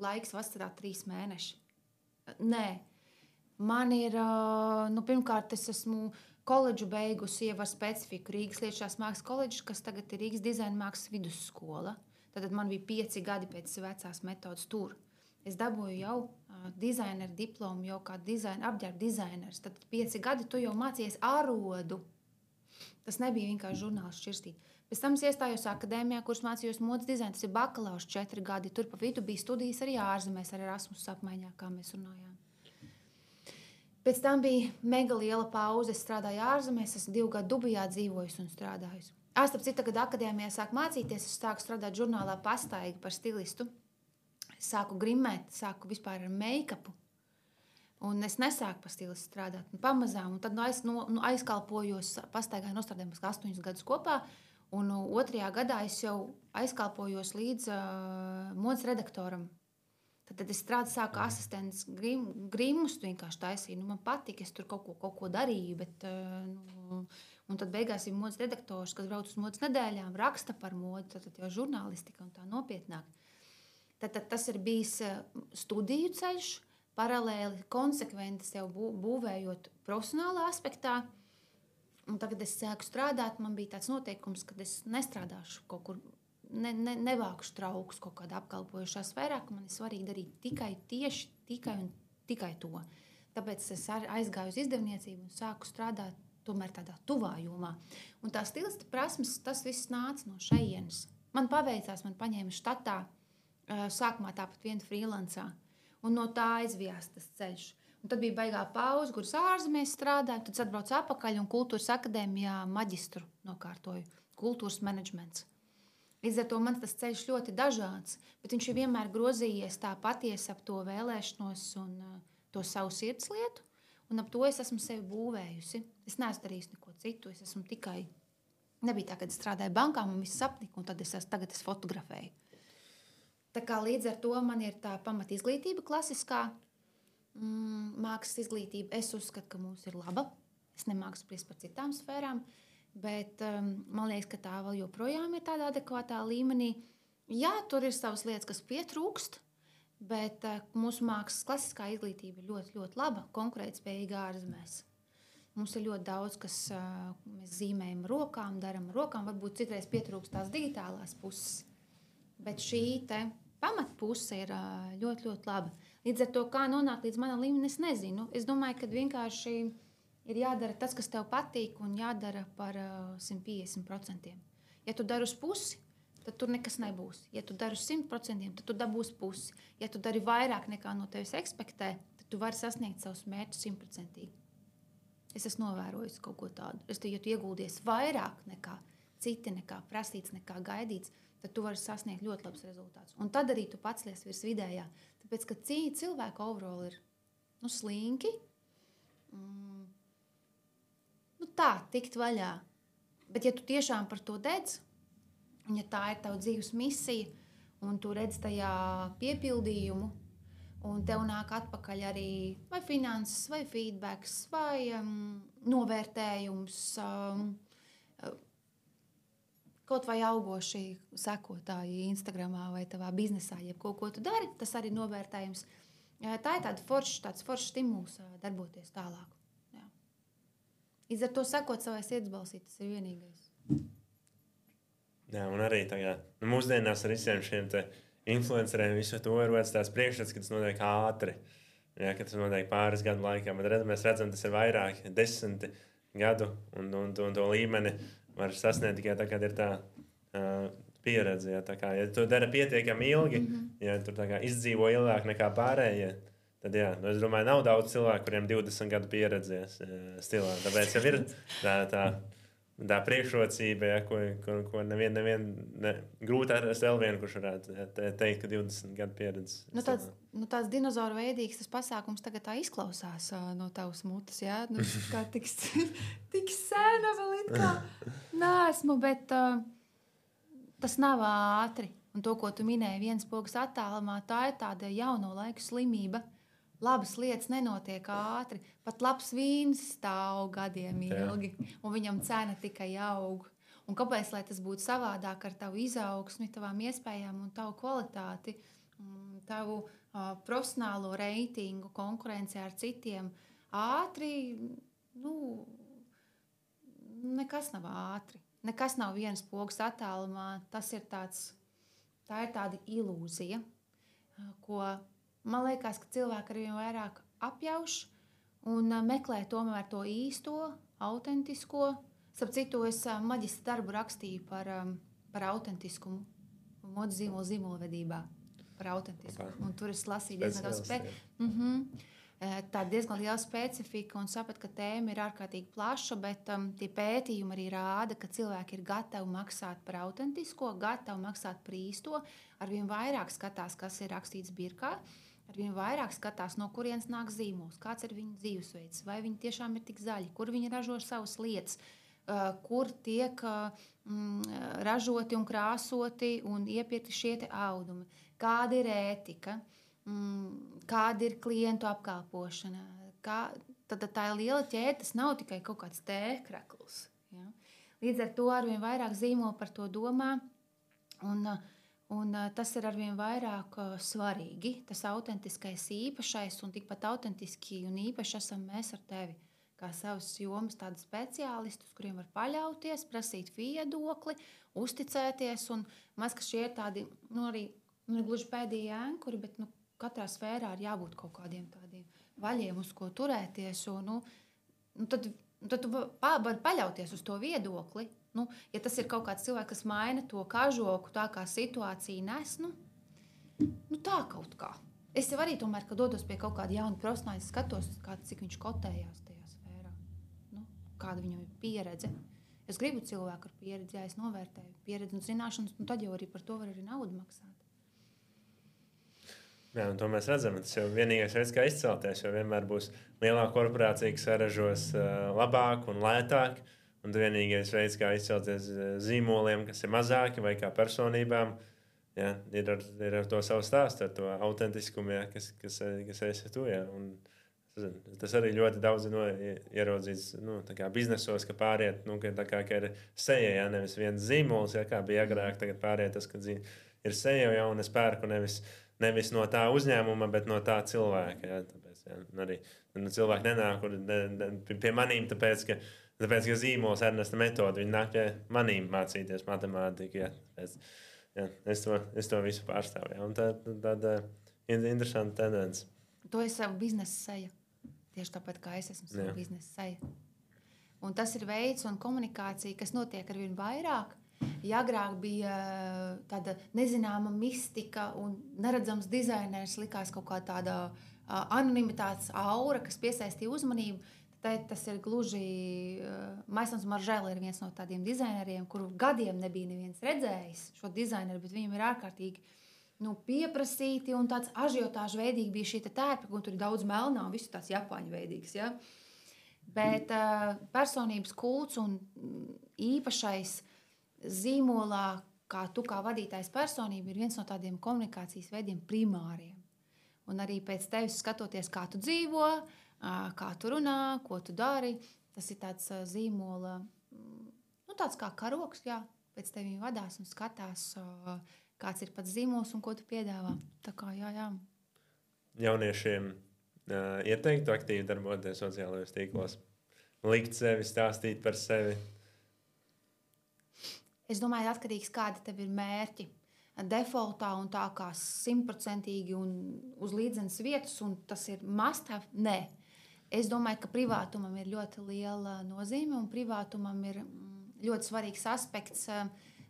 laiks vasarā trīs mēneši. Nē, man ir, nu, pirmkārt, es esmu koledžu beigusi jau ar specifiku Rīgas Lietušās mākslas koledžas, kas tagad ir Rīgas dizaina mākslas vidusskola. Tad man bija pieci gadi pēc vecās metodas tur. Es dabūju jau uh, dizaineru diplomu, jau kā dizaina, apģērba dizainers. Tad pieci gadi tu jau mācījies arodu. Tas nebija vienkārši žurnāls šķirstīt. Pēc tam es iestājos akadēmijā, kuras mācījos modes dizainu. Tas ir bakalaurs četri gadi. Tur pa vidu bija studijas arī ārzemēs, ar Erasmus apmaiņā, kā mēs runājām. Pēc tam bija mega liela pauze. Es strādāju ārzemēs, esmu divu gadu Dubajā dzīvojusi un strādājusi. Āstap citu, kad akadēmijā sāku mācīties, es sāku strādāt žurnālā Pastaigi par stilistu. Es sāku grimēt, sāku vispār ar make-upu. Un es nesāku par stilistu strādāt. Un pamazām, un tad nu, aiz, nu, nu, aizkalpojos, Pastaigā nostrādājos astoņus gadus kopā. Un otrajā gadā es jau aizkalpojos līdz uh, modes redaktoram. Tad, tad es strādāju, sāku asistents grim, grimus, vienkārši taisīju. Nu, man patika, es tur kaut ko, kaut ko darīju, bet, uh, nu, un tad beigās ir modes redaktors, kas brauc uz modes nedēļām, raksta par modi, tad, tad jau žurnālistika un tā nopietnāk. Tad, tad tas ir bijis studiju ceļš, paralēli, konsekventi sev bū, būvējot profesionālā aspektā. Un tagad es sāku strādāt, man bija tāds noteikums, ka es nestrādāšu kaut kur, ne, ne, nevākšu traukus kaut kādā apkalpojošā sfērā, ka man ir svarīgi darīt tikai tieši, tikai un tikai to. Tāpēc es aizgāju uz izdevniecību un sāku strādāt tomēr tādā tuvā jomā. Un tā stilista prasmes, tas viss nāca no šejienes. Man paveicās, man paņēma štatā, sākumā tāpat vienu freelancā, un no tā aizvijās tas ceļš. Un tad bija baigā pauze, kuras ārzemēs strādāju, tad atbraucu atpakaļ un kultūras akadēmijā maģistru nokārtoju, kultūras menedžments. Līdz ar to man tas ceļš ļoti dažāds, bet viņš ir vienmēr grozījies tā patiesi ap to vēlēšanos un uh, to savu sirdslietu, un ap to es esmu sevi būvējusi. Es neesmu darījusi neko citu, es esmu tikai, nebija tā, kad es strādāju bankā, man viss sapnika, un tad es, tagad es fotografēju. Tā kā līdz ar to man ir tā pamat izglītība klasiskā, Mm, mākslas izglītība. Es uzskatu, ka mums ir laba. Es nemāku spriest par citām sfērām, bet um, man liekas, ka tā vēl joprojām ir tādā adekvātā līmenī. Jā, tur ir savas lietas, kas pietrūkst, bet uh, mūsu mākslas klasiskā izglītība ir ļoti, ļoti laba, konkurētspējīga ārzemēs. Mums ir ļoti daudz, kas uh, mēs zīmējam rokām, daram rokām, varbūt citreiz pietrūkst tās digitālās puses, bet šī te pamatpuse ir uh, ļoti, ļoti laba. Līdz ar to, kā nonākt līdz manam līmenim, es nezinu. Es domāju, ka vienkārši ir jādara tas, kas tev patīk, un jādara par uh, simt piecdesmit procentiem. Ja tu dari uz pusi, tad tur nekas nebūs. Ja tu dari uz simt procentiem, tad tu dabūsi pusi. Ja tu dari vairāk nekā no tevis ekspektē, tad tu vari sasniegt savus mērķus simtprocentīgi. Es esmu novērojis kaut ko tādu. Es te, ja tu ieguldies vairāk nekā citi, nekā prasīts, nekā gaidīts, tad tu vari sasniegt ļoti labs rezultāts. Un tad arī tu pats lies virs vidējā. Tāpēc, ka cilvēka overall ir nu, slinki, mm, nu tā, tikt vaļā. Bet ja tu tiešām par to dedz, un ja tā ir tava dzīves misija, un tu redz tajā piepildījumu, Un tev nāk atpakaļ arī vai finanses, vai feedbacks, vai um, novērtējums, um, kaut vai augoši sekotāji Instagramā vai tavā biznesā, jebko, ko tu dari, tas arī novērtējums. Tā ir tāda forša, tāds foršs stimuls darboties tālāk. Jā. Līdz ar to sekot savai sirdsbalsī, tas ir vienīgais. Jā, un arī tagad, nu, mūsdienās ar visiem šiem te influenceriem visu to ir vērts tās priekšstats, ka tas notiek ātri. Jā, ka tas notiek pāris gadu laikā, bet redz, mēs redzam, tas ir vairāk, desmiti gadu, un, un, un to līmeni var sasniegt tikai tā, kad ir tā uh, pieredze. Ja, tā kā, ja tu dari pietiekami ilgi, mm-hmm. ja tu tā kā izdzīvo ilgāk nekā pārējie, tad, jā, nu, es domāju, nav daudz cilvēku, kuriem divdesmit gadu pieredzēs uh, stilā. Tāpēc jau ir tā, tā, tā priekšrocība, ja, ko, ko, ko nevien, nevien, ne, grūti atrast vēl vienu, kurš varētu teikt, ka divdesmit gadu pieredze. Nu, tāds, nu, tāds dinozauru veidīgs tas pasākums tagad tā izklausās uh, no tavas mutes, jā? Nu, kā tik, tik sena vēl it kā neesmu, bet uh, tas nav ātri. Un to, ko tu minēji viens pogas attālumā, tā ir tāda jauno laiku slimība. Labas lietas nenotiek ātri. Pat labs vīns stāv gadiem ilgi, un viņam cena tikai aug. Un kāpēc, lai tas būtu savādāk ar tavu izaugsmi, tavām iespējām un tavu kvalitāti, tavu uh, profesionālo reitingu, konkurenci ar citiem, ātri, nu, nekas nav ātri. Nekas nav viens pogas attālumā. Tas ir tāds, tā ir tāda ilūzija, ko man liekas, ka cilvēki arvien vairāk apjauš un meklē tomēr to īsto, autentisko. Starp citu, es maģistra darbu rakstīju par, par autentiskumu, modes zīmolu zīmolvedībā, par autentiskumu. Un tur es lasīju diezgan daudz spē... mm-hmm. Tā diezgan liela specifika un sapratu, ka tēma ir ārkārtīgi plaša, bet um, tie pētījumi arī rāda, ka cilvēki ir gatavi maksāt par autentisko, gatavi maksāt par īsto, arvien vairāk skatās, kas ir rakstīts birkā, arvien vairāk skatās, no kurienes nāk zīmols, kāds ir viņa dzīvesveids, vai viņi tiešām ir tik zaļi, kur viņi ražo savas lietas, uh, kur tiek uh, mm, ražoti un krāsoti un iepirkti šie te audumi, kāda ir ētika, mm, kāda ir klientu apkalpošana. Kā, tad tā ir liela ķēde, tas nav tikai kaut kāds tēkrakls. Ja? Līdz ar to arvien vairāk zīmoli par to domā, un, un tas ir arvien vairāk svarīgi. Tas autentiskais īpašais, un tikpat autentiski un īpaši esam mēs ar tevi, kā savas jomas tādi speciālistus, kuriem var paļauties, prasīt viedokli, uzticēties, un maz, ka šie ir tādi, nu arī, nu gluži pēdējie ēnkuri, bet, nu, katrā sfērā ir jābūt kaut kādiem tādiem vaļiem, uz ko turēties. Un, nu, nu tad, tad tu vari paļauties uz to viedokli. Nu, ja tas ir kaut kāds cilvēks, kas maina to kažoku, tā kā situācija nes, nu, nu tā kaut kā. Es jau arī tomēr, kad dodos pie kaut kāda jauna profesionāla, skatos, kā, cik viņš kotējās tajā sfērā. Nu, kāda viņam ir pieredze. Es gribu cilvēku ar pieredzi, ja es novērtēju pieredzi un zināšanas, nu, tad jau arī par to var arī naudu maksāt. Jā, un to mēs redzam. Tas jau vienīgais veids, kā izcelties, jo vienmēr būs lielāka korporācija, kas saražos uh, labāk un lētāk. Un vienīgais veids, kā izcelties zīmoliem, kas ir mazāki vai kā personībām, jā, ir, ar, ir ar to savu stāstu, ar to autentiskumu, jā, kas, kas, kas esi tu. Jā. Un tas arī ļoti daudz no, ierodzīts nu, biznesos, ka pāriet, nu, ka, kā, ka ir seja, jā, nevis viens zīmols, jā, kā bija agrāk, tagad pāriet tas, ka ir seja, jā, un es pērku nevis Nevis no tā uzņēmuma, bet no tā cilvēka. Jā, tāpēc, jā, arī, nu, cilvēki nenāk ne, ne, pie manīm, tāpēc, ka, tāpēc, ka zīmols Ernesta metode, viņi nāk pie manīm mācīties matemātiku. Jā, tāpēc, jā, es, to, es to visu pārstāvu. Jā, un tā ir tāda interesanta tendence. To ir savu biznesa seja. Tieši tāpat, kā es esmu savu biznesa seja. Un tas ir veids un komunikācija, kas notiek arvien vairāk. Ja agrāk bija tāda nezināma mistika un neredzams dizainers, likās kaut kā tāda anonimitātes aura, kas piesaistīja uzmanību, tad tas ir gluži Maisons Maržēla ir viens no tādiem dizaineriem, kuru gadiem nebija neviens redzējis šo dizaineru, bet viņam ir ārkārtīgi nu, pieprasīti un tāds ažiotāžu veidīgi bija šī tērpa, un tur ir daudz melnā un visu tāds japāņu veidīgs. Ja? Bet uh, personības kults un īpašais zīmolā, kā tu kā vadītājs personība, ir viens no tādiem komunikācijas veidiem primāriem. un arī pēc tevis skatoties, kā tu dzīvo, kā tu runā, ko tu dari. Tas ir tāds zīmola, nu, tāds kā karoks, jā, pēc tevi vadās un skatās, kāds ir pats zīmols un ko tu piedāvā. Tā kā, jā, jā. Jauniešiem uh, ieteiktu aktīvi darboties sociālajos tīklos, likt sevi, stāstīt par sevi. Es domāju, atkarīgs, kādi tev ir mērķi. Defaultā un tā kā simtprocentīgi un uz līdzenas vietas, un tas ir must-have, nē. Es domāju, ka privātumam ir ļoti liela nozīme, un privātumam ir ļoti svarīgs aspekts,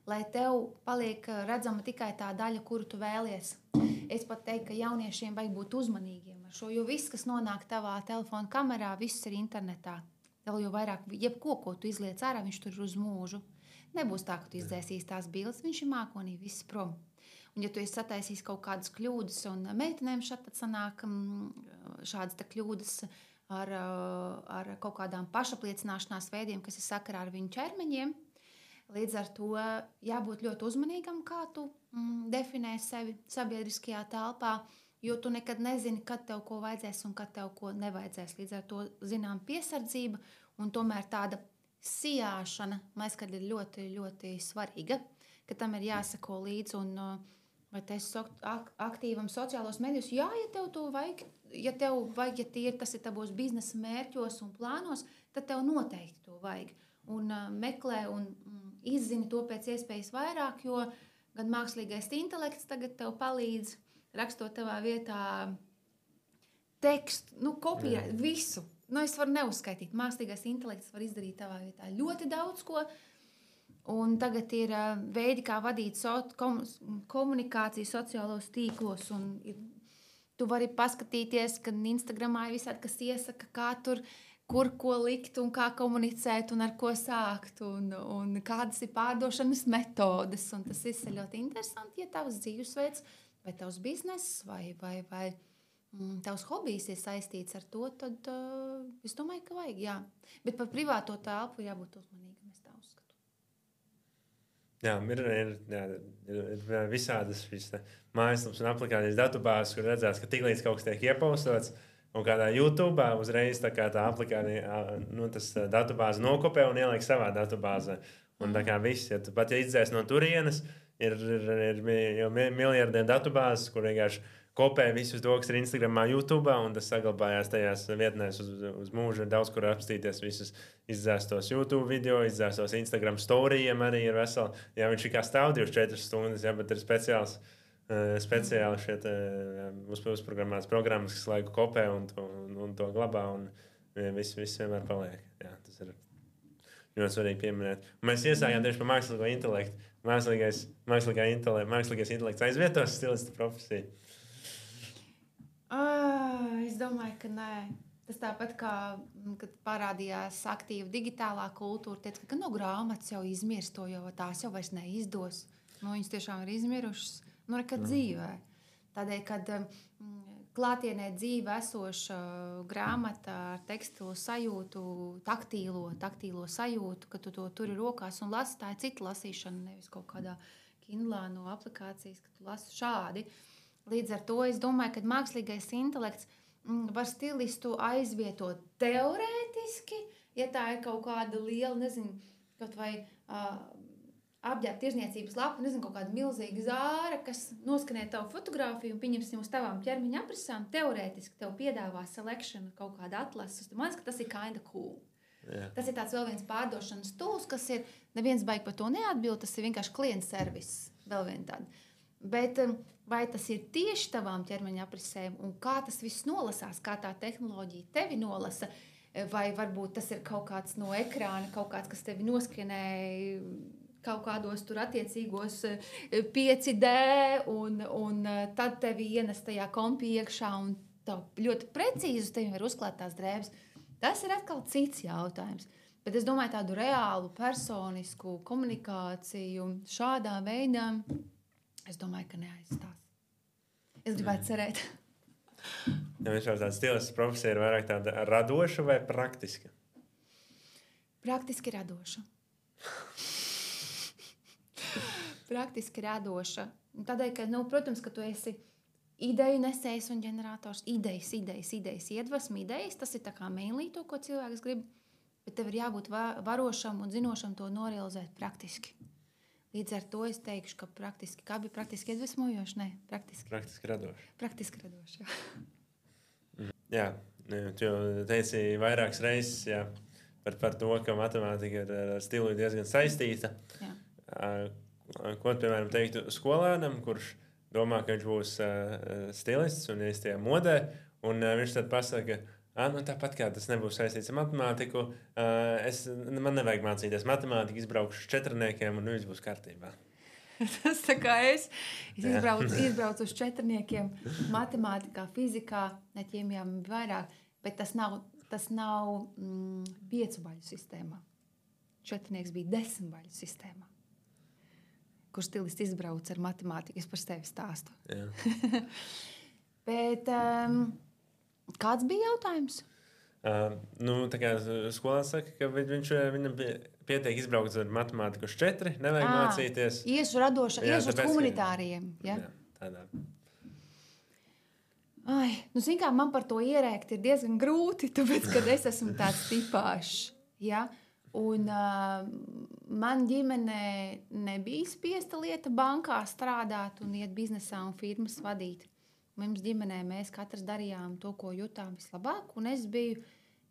lai tev paliek redzama tikai tā daļa, kuru tu vēlies. Es pat teiktu, ka jauniešiem vajag būt uzmanīgiem ar šo, jo viss, kas nonāk tavā telefona kamerā, viss ir internetā. Vēl jau vairāk, jebko, ko tu izliec ārā, viņš tur ir uz mūžu. Nebūs tā, ka tu izdzēsīs tās bildes, viņš ir mākonī, viss prom. Un ja tu esi sataisījis kaut kādas kļūdas, un meitenēm šad tad sanāk šādas tā kļūdas ar, ar kaut kādām pašapliecināšanās veidiem, kas ir sakarā ar viņu ķermeņiem, līdz ar to jābūt ļoti uzmanīgam, kā tu mm, definē sevi sabiedriskajā telpā, jo tu nekad nezini, kad tev ko vajadzēs un kad tev ko nevajadzēs. Līdz ar to zinām piesardzība un tomēr tāda sijāšana, mēs, kad ir ļoti, ļoti svarīga, ka tam ir jāsako līdzi un vai tu esi aktīvam sociālos medijos. Jā, ja tev to vajag, ja tev vajag, ja tie, tas ir tavos biznesa mērķos un plānos, tad tev noteikti to vajag. Un uh, meklē un mm, izzini to pēc iespējas vairāk, jo gan mākslīgais intelekts tagad tev palīdz rakstot tavā vietā tekstu, nu, kopijēt visu. Nu, es varu neuzskaitīt. Mākslīgais intelekts var izdarīt tavā vietā ļoti daudz ko. Un tagad ir uh, veidi, kā vadīt so, kom, komunikāciju sociālos tīklos. Un ir, tu vari paskatīties, ka Instagramā ir visādi, kas iesaka, kā tur, kur ko likt un kā komunicēt un ar ko sākt. Un, un kādas ir pārdošanas metodes. Un tas viss ir ļoti interesanti, ja tavs dzīvesveids vai tavs bizness vai... vai, vai tavs hobijs ir saistīts ar to, tad uh, es domāju, ka vajag, jā. Bet par privāto telpu jābūt uzmanīgam, es tā uzskatu. Jā, ir, ir, jā, ir, ir visādas šīs mājaslapas un aplikācijas datubāzes, kur redzēts, ka tiklīdz kaut kas tiek iepostots, un kādā YouTube uzreiz tā kā tā aplikācija, nu, tas datubāze nokopē un ieliek savā datubāzē. Un tā kā viss, ja tu pat ja izdzēs no turienes, ir, ir, ir, ir jau miljardiem datubāzes, kur vienkārši kopē visus to, kas ir Instagramā, YouTube, un tas saglabājās tajās vietnēs uz, uz mūžu. Ir daudz, kur apstīties visus izdzēstos YouTube video, izdzēstos Instagram storijiem arī ir veseli. Jā, viņš ir kā stāv divas četras stundas, jā, bet ir speciāls, uh, speciāli šeit uh, uz, uzprogrammētas programmas, kas laiku kopē un to, un, un to glabā, un viss, viss vienmēr paliek. Jā, tas ir ļoti svarīgi pieminēt. Un mēs iesājām tieši par mākslīgo intelektu. Mākslīgais, mākslīgā intelekts, mākslīgais intelekts aizvietos stilista profesiju. Uh, es domāju, ka nē. Tas tāpat kā, kad parādījās aktīva digitālā kultūra, teica, ka no grāmatas jau izmirst to, jo tās jau vairs neizdos. Nu, viņas tiešām ir izmirušas, nu, nekad mm. dzīvē. Tādēļ, kad um, klātienē dzīve esoša grāmata ar tekstilu sajūtu, taktīlo, taktīlo sajūtu, ka tu to turi rokās un lasi, tā ir cita lasīšana, nevis kaut kādā Kindlā no aplikācijas, ka tu lasi šādi. Līdz ar to es domāju, ka mākslīgais intelekts var stilistu aizvietot teorētiski, ja tā ir kaut kāda liela, nezinu, kaut vai uh, apģērba tirzniecības lapa, nezinu, kaut kāda milzīga zāra, kas noskanē tavu fotogrāfiju un pieņemsim uz tavām ķermeņa aprasām, teorētiski tev piedāvā selection kaut kāda atlases. Man liekas, ka tas ir kinda cool. Yeah. Tas ir tāds vēl viens pārdošanas tools, kas ir, neviens baigi par to neatbild, tas ir vienkārši klienta servis, vēl vien tāda. Bet vai tas ir tieši tavām ķermeņa aprisēm un kā tas viss nolasās, kā tā tehnoloģija tevi nolasa, vai varbūt tas ir kaut kāds no ekrāna, kaut kāds, kas tevi noskanēja kaut kādos tur attiecīgos pieci D un, un tad tevi ienes tajā kompī iekšā un tā ļoti precīzi uz tevi var uzklāt tās drēbes. Tas ir atkal cits jautājums. Bet es domāju tādu reālu, personisku komunikāciju šādā veidā, es domāju, ka neaizstās. Es gribētu cerēt. Ja viņš jau tāds stilists profesija ir vairāk tāda radoša vai praktiska? Praktiski radoša. Praktiski radoša. Tādēļ, ka, nu, protams, ka tu esi ideju nesējs un ģenerators, idejas, idejas, idejas, iedvesmu, idejas. Tas ir tā kā mainly to, ko cilvēks grib, bet tev ir jābūt varošam un zinošam to norealizēt praktiski. Līdz ar to es teikšu, ka praktiski, kā bija praktiski iedvesmojoši? Nē, praktiski. Praktiski radoši. Praktiski radoši, jā. Jā, tu jau teici vairākas reizes, jā, par, par to, ka matemātika ir ar stilu diezgan saistīta. Jā. Ko, piemēram, teiktu skolēnam, kurš domā, ka viņš būs uh, stilists un ir tajā modē, un uh, viņš tad pasaka, ka nu, tāpat kā tas nebūs saistīts ar matemātiku, uh, es, man nevajag mācīties matemātiku, izbraukšu uz četrniekiem un viss būs kārtībā. Tas tā kā es, es izbraucu, izbraucu uz četrniekiem matemātikā, fizikā, ne ķīmijām vairāk, bet tas nav, tas nav mm, piecu baļu sistēmā. Četrnieks bija desmit baļu sistēmā. Kur stilists izbrauc ar matemātiku, es par sevi stāstu. Bet um, kāds bija jautājums? Uh, nu, tā kā skolās saka, ka viņš, viņam pietiek izbraukt ar matemātiku uz četri, nevajag à, mācīties. Iešu radoša, jā, iešu uz humanitāriem. Ja? Jā, tādā. Ai, nu, zin kā, man par to ierēkt ir diezgan grūti, tāpēc, kad es esmu tāds tipāšs, ja? Un uh, man ģimenē nebija spiesta lieta bankā strādāt un iet biznesā un firmas vadīt. Mums ģimenē mēs katrs darījām to, ko jutām vislabāk, un es biju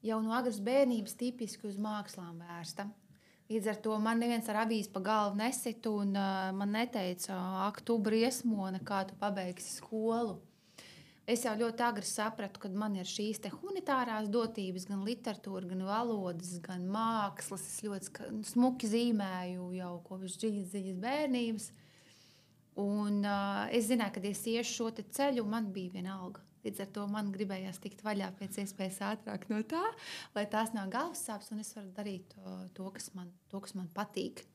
jau no agras bērnības tipiski uz mākslām vērsta. Līdz ar to man neviens ar avīzi pa galvu nesitu, un uh, man neteica, ak, tu briesmone, kā tu pabeigsi skolu. Es jau ļoti agri sapratu, ka man ir šīs te humanitārās dotības, gan literatūra, gan valodas, gan mākslas. Es ļoti smuki zīmēju jau kopš dziļas bērnības. Un uh, es zināju, ka es iešu šo te ceļu, man bija vienalga. Līdz ar to man gribējās tikt vaļā pēc iespējas ātrāk no tā, lai tās nav galvas sāpes, un es varu darīt to, to, kas, man, to kas man patīk.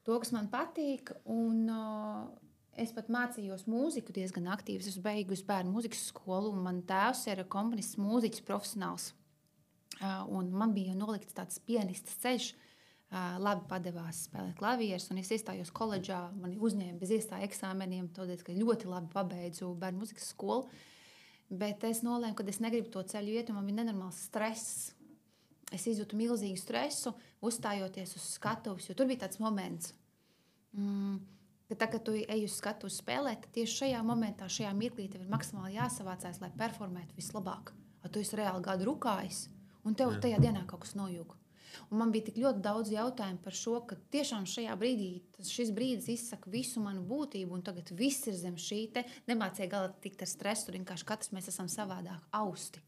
To, kas man patīk, un... Uh, Es pat mācījos mūziku diezgan aktīvi. Es beigusi bērnu mūzikas skolu, un man tēvs ir komponists, mūziķis, profesionāls. Un man bija nolikts tāds pianistas ceļš. Labi padevās spēlēt klavierus, un es iestājos koledžā. Mani uzņēma bez iestāju eksāmeniem, tādēļ, ka ļoti labi pabeidzu bērnu mūzikas skolu. Bet es nolēmu, ka es negribu to ceļu iet, un man bija nenormāls stress. Es izjūtu milzīgu stresu, uzstājoties uz skatuves, jo tur bija tāds moments. Mm, ka tā, kad tu ej uz skatuves spēlēt, tad tieši šajā momentā, šajā mirklī tev ir maksimāli jāsavācās, lai performētu vislabāk. A tu esi reāli gadu rukājis, un tev Jā. tajā dienā kaut kas nojūg. Un man bija tik ļoti daudz jautājumu par šo, ka tiešām šajā brīdī šis brīdis izsaka visu manu būtību, un tagad viss ir zem šī te. Nemācīja galā tikt ar stresu, vienkārši katrs mēs esam savādāk austi.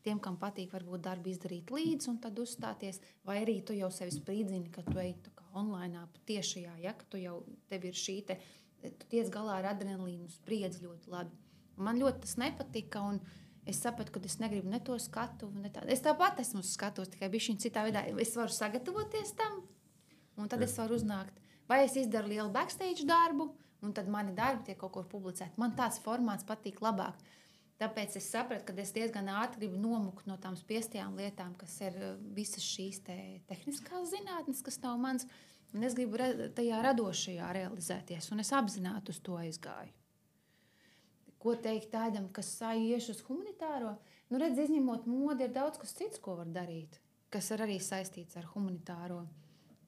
Tiem, kam patīk varbūt darbu izdarīt līdzi un tad uzstāties, vai arī tu jau sevi spridzini, ka tu ej tā kā online tiešajā, ja, ka tu jau tev ir šī te, tu tiec galā ar adrenalīnu, spriedzi ļoti labi. Un man ļoti tas nepatika, un es sapratu, ka es negribu ne to skatu, ne tā. Es tāpat esmu uz skatos, tikai bišķiņ citā veidā. Es varu sagatavoties tam, un tad es varu uznākt. Vai es izdaru lielu backstage darbu, un tad mani darbi tiek kaut kur publicēti. Man tāds formāts patīk labāk. Tāpēc es sapratu, ka es diezgan ātri gribu nomukt no tām spiestajām lietām, kas ir visas šīs te tehniskās zinātnes, kas nav mans. Un es gribu re- tajā radošajā realizēties, un es apzināti uz to aizgāju. Ko teikt tādam, kas ieš uz humanitāro? Nu, redz, izņemot modi, ir daudz kas cits, ko var darīt, kas ir arī saistīts ar humanitāro.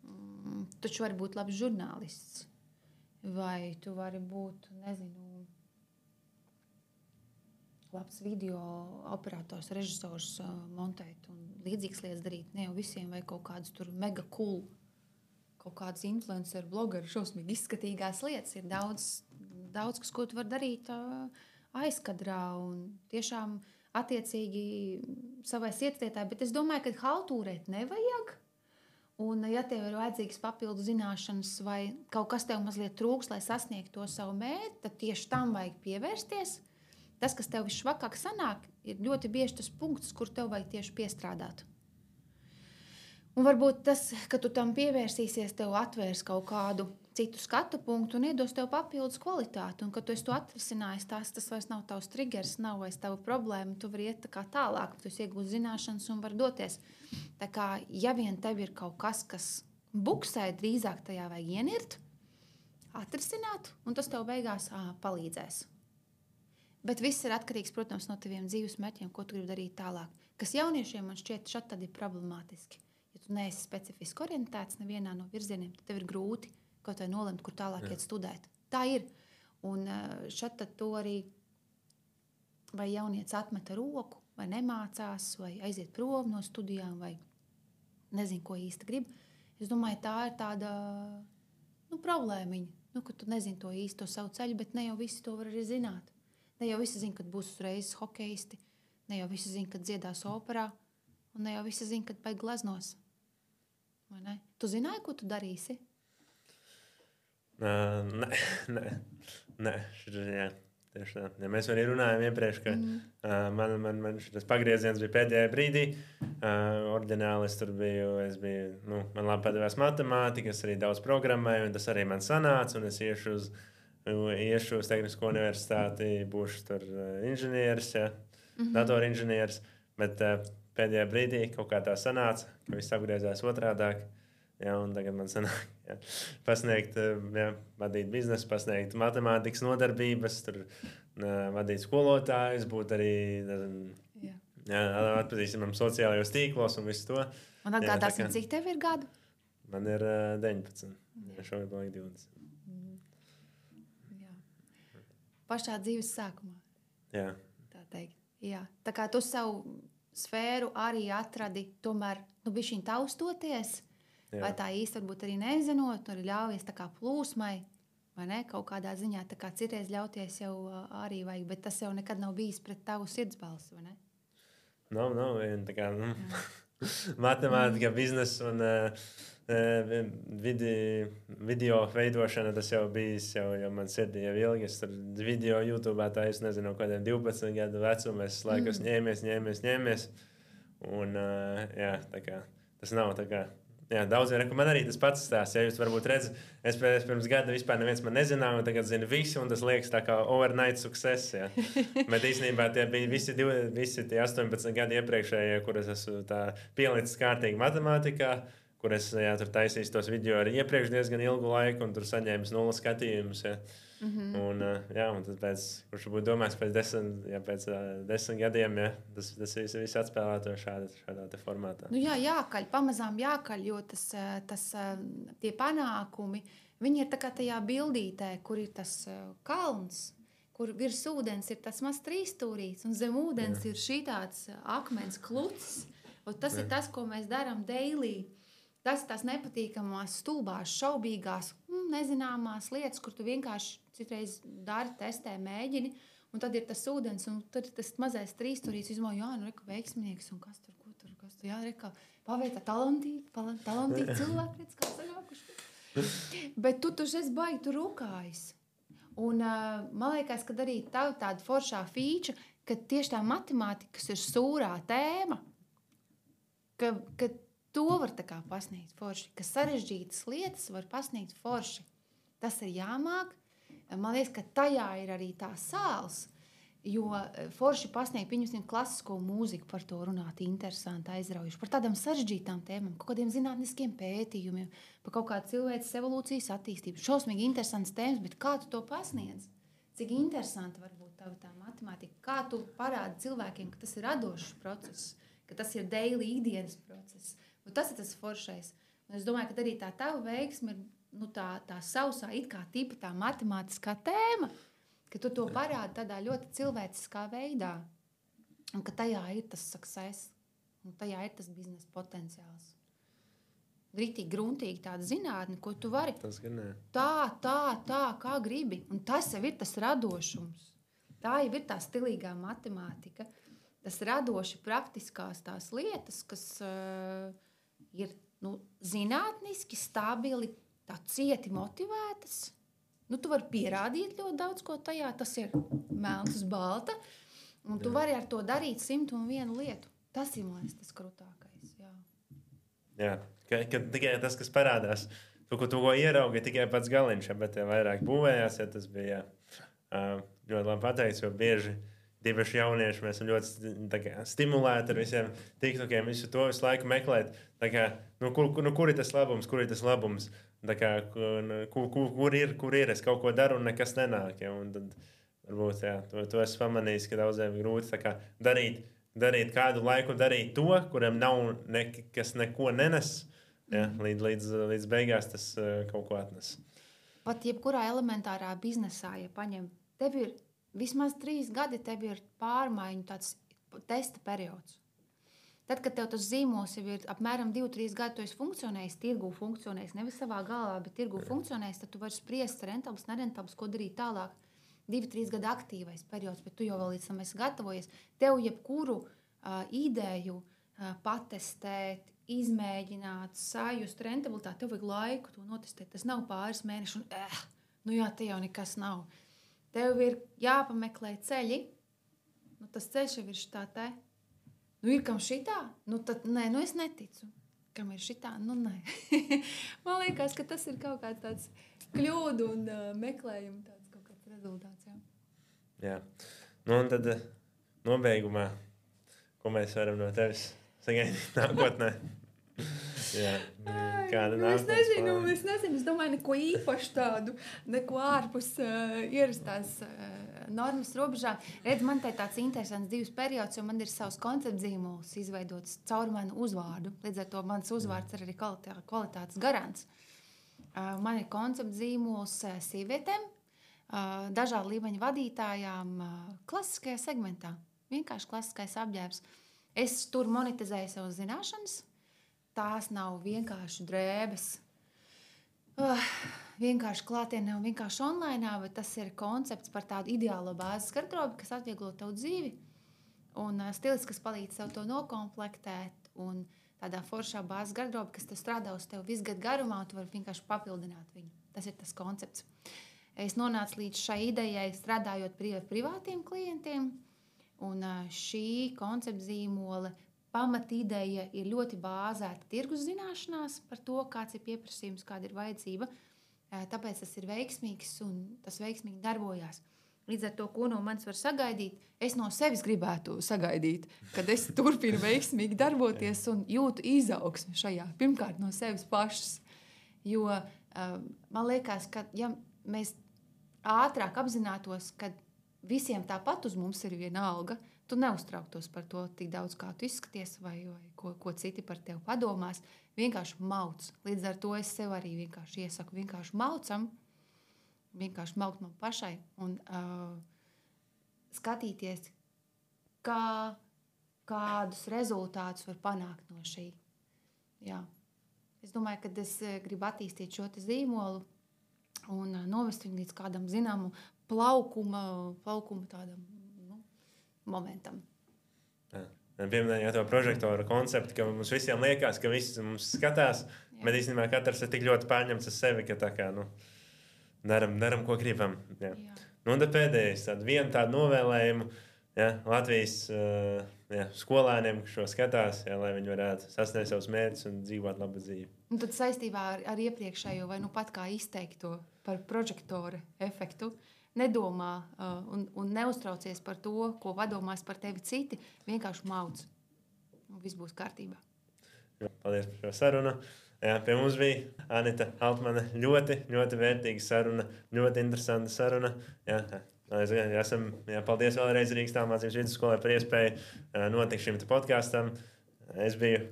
Mm, taču var būt labs žurnālists, vai tu vari būt, nezinu, labs video operators, režisors, montēt un līdzīgas lietas darīt. Ne jau visiem vai kaut kādus tur mega cool, kaut kādas influencer, blogeri, šausmīgi izskatīgās lietas. Ir daudz, daudz kas, ko tu var darīt aizkadrā un tiešām attiecīgi savai sirdslietā. Bet es domāju, ka haltūrēt nevajag. Un ja tev ir vajadzīgas papildu zināšanas vai kaut kas tev mazliet trūks, lai sasniegtu to savu mērķi, tad tieši tam vajag pievērsties. Tas, kas tev visšvakāk sanāk, ir ļoti bieži tas punkts, kur tev vajag tieši piestrādāt. Un varbūt tas, ka tu tam pievērsīsies, tev atvērs kaut kādu citu skatu punktu un iedos tev papildus kvalitāti. Un, kad tu esi to atrisinājis, tās, tas vairs nav tavs triggers, nav vairs tava problēma, tu vari iet tā kā tālāk, tu esi iegūst zināšanas un var doties. Tā kā, ja vien tev ir kaut kas, kas buksē, drīzāk tajā vajag ienirt, atrisināt, un tas tev beigās ā, palīdzēs. Bet viss ir atkarīgs, protams, no taviem dzīves mērķiem, ko tu gribi darīt tālāk. Kas jauniešiem man šķiet šad tad ir problemātiski. Ja tu neesi specifiski orientēts nevienā no virzieniem, tad tev ir grūti kaut vai nolemt, kur tālāk iet studēt. Tā ir. Un šad tad to arī vai jaunieci atmeta roku, vai nemācās, vai aiziet prom no studijām, vai nezinu, ko īsti grib. Es domāju, tā ir tāda nu, problēmiņa, nu, ka tu nezini to īsto savu ceļu, bet ne jau visi to var arī zināt. Ne jau visi zina, kad būs uzreiz hokeisti, ne jau visi zina, kad dziedās operā, un ne jau visi zina, kad baigi gleznos. Vai ne? Tu zināji, ko tu darīsi? Uh, nē, nē, nē, šis, jā. Tieši tā. Ja mēs arī runājām iepriekš, ka mm. uh, man, man, man šis pagrieziens bija pēdējā brīdī. Uh, Orģināli es tur biju, es biju, nu, man labi padevās matemātika, es arī daudz programmēju, un tas arī man sanāca, un es iešu uz, iešu uz Tehnisko universitāti, būšu tur uh, inženieris, ja, mm-hmm. datorinženieris, bet uh, pēdējā brīdī kaut kā tā sanāca, ka viss apgriezās otrādāk. Ja, un tagad man sanāk, ja, pasniegt, ja, vadīt biznesu, pasniegt matemātikas nodarbības, tur, uh, vadīt skolotājus, būt arī ja. Ja, atpazīstamam sociālajos tīklos un visu to. Un atgādāsim, cik tev ir gadu? Man ir uh, deviņpadsmit. Ja, šogad paliek divdesmit. Mm. Jā. Pašā dzīves sākumā. Jā. Tā teikt. Jā. Tā kā tu savu sfēru arī atradi, tomēr, nu, bišķiņ taustoties, jā. Vai tā īsti varbūt arī nezinot, arī ļaujies tā kā plūsmai, vai ne, kaut kādā ziņā, tā kā citreiz ļauties jau arī vajag, bet tas jau nekad nav bijis pret tavu sirdsbalsi, vai ne? Nav, nav, tā kā, nu, matemātika, biznes un uh, vidi, video veidošana, tas jau bijis, jau, jau man sirdī jau ilgi, es tur video YouTube'ā tā, es nezinu, kādiem divpadsmit gadu vecumu, es laikos mm. ņēmies, ņēmies, ņēmies, un, uh, jā, tā kā, tas nav tā kā, jā, daudziem reku man arī tas pats stāsts. Ja jūs varbūt redzat, es pirms gada vispār neviens man nezināja, un tagad zina visi, un tas liekas tā kā overnight success. Ja. Bet īstenībā tie bija visi, divi, visi tie astoņpadsmit gadi iepriekšējie, kur es esmu tā pielicis kārtīgi matemātikā, kur es jā, tur taisīju tos video arī iepriekš diezgan ilgu laiku, un tur saņēmu nulles skatījumus. Ja. Mm-hmm. Un, jā, un tad pēc, kurš būtu domājis pēc desmit, ja, pēc uh, desmit gadiem, ja, tas, tas viss, viss atspēlēto šādā, šādā te formātā. Nu jā, jākaļ, pamazām jākaļ, jo tas, tas, tie panākumi, viņi ir tā kā tajā bildītē, kur ir tas kalns, kur virs ūdens ir tas maz trīsstūrīts, un zem ūdens jā. Ir šī tāds akmens klucis, un tas jā. Ir tas, ko mēs darām daily. Tas ir tās nepatīkamās, stulbās, šaubīgās, nezināmās lietas, kur tu vienkārši citreiz dari, testē, mēģini, un tad ir tas ūdens, un tad ir tas mazais trīsstūrīts, izmā, jā, nu, reka, veiksminieks, un kas tur, ko tur, kas tur, jā, reka, pavietā talantīgi, talantīgi cilvēki, redz, kā sanākuši. Bet tu tur esi baigi, tu rukājis. Un uh, man liekas, ka arī tav tāda foršā fīča, ka tieši tā matemātika, kas ir sūrā tēma, ka, ka to var tā kā pasniegt forši, ka sarežģītas lietas var pasniegt forši. Tas ir jāmāk. Man liekas, ka tajā ir arī tā sāls, jo forši pasniegt, pieņemsim, klasisko mūziku, par to runāt interesanti, aizraujuši, par tādām sarežģītām tēmām, kaut kādiem zinātniskiem pētījumiem, par kaut kādu cilvēces evolūcijas attīstību. Šausmīgi interesants tēmas, bet kā tu to pasniedz? Cik interesanti var būt tava tā matemātika? Kā tu parādi cilvēkiem, ka tas ir radošs process, ka tas ir daily ikdienas process? Un tas ir tas foršais. Un es domāju, ka arī tā tava veiksme ir nu, tā, tā sausā, it kā tipa tā matemātiskā tēma, ka tu to parādi tādā ļoti cilvēciskā veidā. Un ka tajā ir tas success, un tajā ir tas biznesa potenciāls. Ritīgi, gruntīgi tāda zinātne, ko tu vari. Tas gan ne. Tā, tā, tā, kā gribi. Un tas jau ir tas radošums. Tā jau ir tā stilīgā matemātika. Tas radoši praktiskās tās lietas, kas uh, ir nu, zinātniski, stabili, tā cieti motivētas. Nu, tu vari pierādīt ļoti daudz ko tajā. Tas ir melns uz balta. Un jā. Tu vari ar to darīt simt un vienu lietu. Tas ir, man liekas, tas krūtākais. Jā, jā. Ka, ka tikai tas, kas parādās. Tu, ko, tu, ko ieraugi, tikai pats galiņš, bet ja vairāk būvējās, ja tas bija uh, ļoti labi pateikts, jo bieži divaši jaunieši, mēs esam ļoti kā, stimulēti ar visiem tiktokiem, visu to visu laiku meklēt. Tā kā, nu, kur, nu, kur ir tas labums, kur ir tas labums? Tā kā, kur, kur, kur, ir, kur ir, es kaut ko daru un nekas nenāk. Ja? Un tad varbūt jā, to, to esmu pamanījis, ka daudziem ir grūti kā, darīt, darīt kādu laiku, darīt to, kuram nav nekas neko nenes. Ja, līdz, līdz, līdz beigās tas uh, kaut ko atnes. Pat jebkurā elementārā biznesā, ja paņem, tev ir vismaz trīs gadi, tev ir pārmaiņu tāds testa periods. Tad, kad tev tas zīmols jau ir apmēram divi trīs gadi, tu esi funkcionējis, tirgū funkcionējis, nevis savā galvā, bet tirgū funkcionējis, tad tu vari spriest rentabls, nerentabls, ko darīt tālāk. divi trīs gadi aktīvais periods, bet tu jau vēl līdz tam esi gatavojies. Tev jebkuru uh, ideju uh, patestēt, izmēģināt, sajust rentabilitāti, tev vajag laiku to notestēt. Tas nav pāris mēneši un, eh, nu jā, te jau nekas nav. Tev ir jāpameklē ceļi, nu tas ceļš jau ir šitā te. Nu ir kam šitā? Nu tad, nē, nu es neticu. Kam ir šitā? Nu nē. Man liekas, ka tas ir kaut kāds tāds kļūdu un uh, meklējumu tāds kaut kāds rezultāts, jā. Jā. Nu un tad uh, nobeigumā, ko mēs varam no tevis sagaidīt nākotnē? Jā, kāda nu, es nezinu, plāna? es nezinu, es domāju, neko īpašu tādu, neko ārpus uh, ierastās uh, normas robežām. Redz, man te tāds interesants divs periods, jo man ir savs konceptzīmols izveidots caur manu uzvārdu. Līdz ar to mans uzvārds ir arī kvalitā, kvalitātes garants. Uh, man ir konceptzīmols uh, sievietēm, uh, dažādu līmeņu vadītājām uh, klasiskajā segmentā. Vienkārši klasiskais apģērbs. Es tur monetizēju savas zināšanas. Tās nav vienkārši drēbes, uh, vienkārši klātienē un vienkārši online, bet tas ir koncepts par tādu ideālo bāzes garderobi, kas atvieglo tavu dzīvi. Un uh, stilists, kas palīdz tev to nokomplektēt. Un tādā foršā bāzes garderobi, kas tev strādā uz tevi visu gadu garumā, tu vari vienkārši papildināt viņu. Tas ir tas koncepts. Es nonācu līdz šai idejai, strādājot ar privātiem klientiem. Un uh, šī koncepta zīmola pamatīdeja ir ļoti bāzēta tirgus zināšanās par to, kāds ir pieprasījums, kāda ir vajadzība. Tāpēc tas ir veiksmīgs un tas veiksmīgi darbojās. Līdz ar to, ko no manis var sagaidīt, es no sevis gribētu sagaidīt, kad es turpinu veiksmīgi darboties un jūtu izaugsmi šajā. Pirmkārt, no sevis pašas. Jo man liekas, ka ja mēs ātrāk apzinātos, ka visiem tāpat uz mums ir viena alga, tu neuztrauktos par to tik daudz, kā tu izskaties vai, vai ko, ko citi par tevi padomās. Vienkārši mauc. Līdz ar to es sev arī vienkārši iesaku. Vienkārši maucam, vienkārši maukt man pašai un uh, skatīties, kā, kādus rezultātus var panākt no šī. Jā. Es domāju, ka es gribu attīstīt šo te zīmolu un uh, novest viņu līdz kādam zināmu plaukuma, plaukuma tādam momentam. Pieminējāt to prožektoru konceptu, ka mums visiem liekas, ka visi mums skatās, jā. Bet īstenībā katrs ir tik ļoti pārņemts ar sevi, ka tā kā, nu, daram, daram, ko gribam. Jā. Jā. Nu, un tad pēdējais, tādu vienu tādu novēlējumu, jā, Latvijas uh, jā, skolēniem, kas šo skatās, jā, lai viņi varētu sasniegt savus mērķus un dzīvot labu dzīvi. Un tad saistībā ar, ar iepriekšējo, vai nu pat kā izteikto par prožektoru efektu, nedomā uh, un, un neuztraucies par to, ko padomās par tevi citi. Vienkārši mauc. Un viss būs kārtībā. Jā, paldies par šo sarunu. Jā, pie mums bija Anita Altmane. Ļoti, ļoti vērtīga saruna. Ļoti interesanta saruna. Jā, jā, esam, jā, paldies vēlreiz Rīgas Tālmācības vidusskolai par iespēju uh, notikt šim podkāstam. Es biju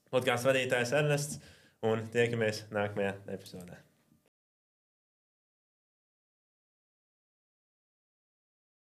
podkāstu vadītājs Ernests un tiekamies nākamajā epizodē.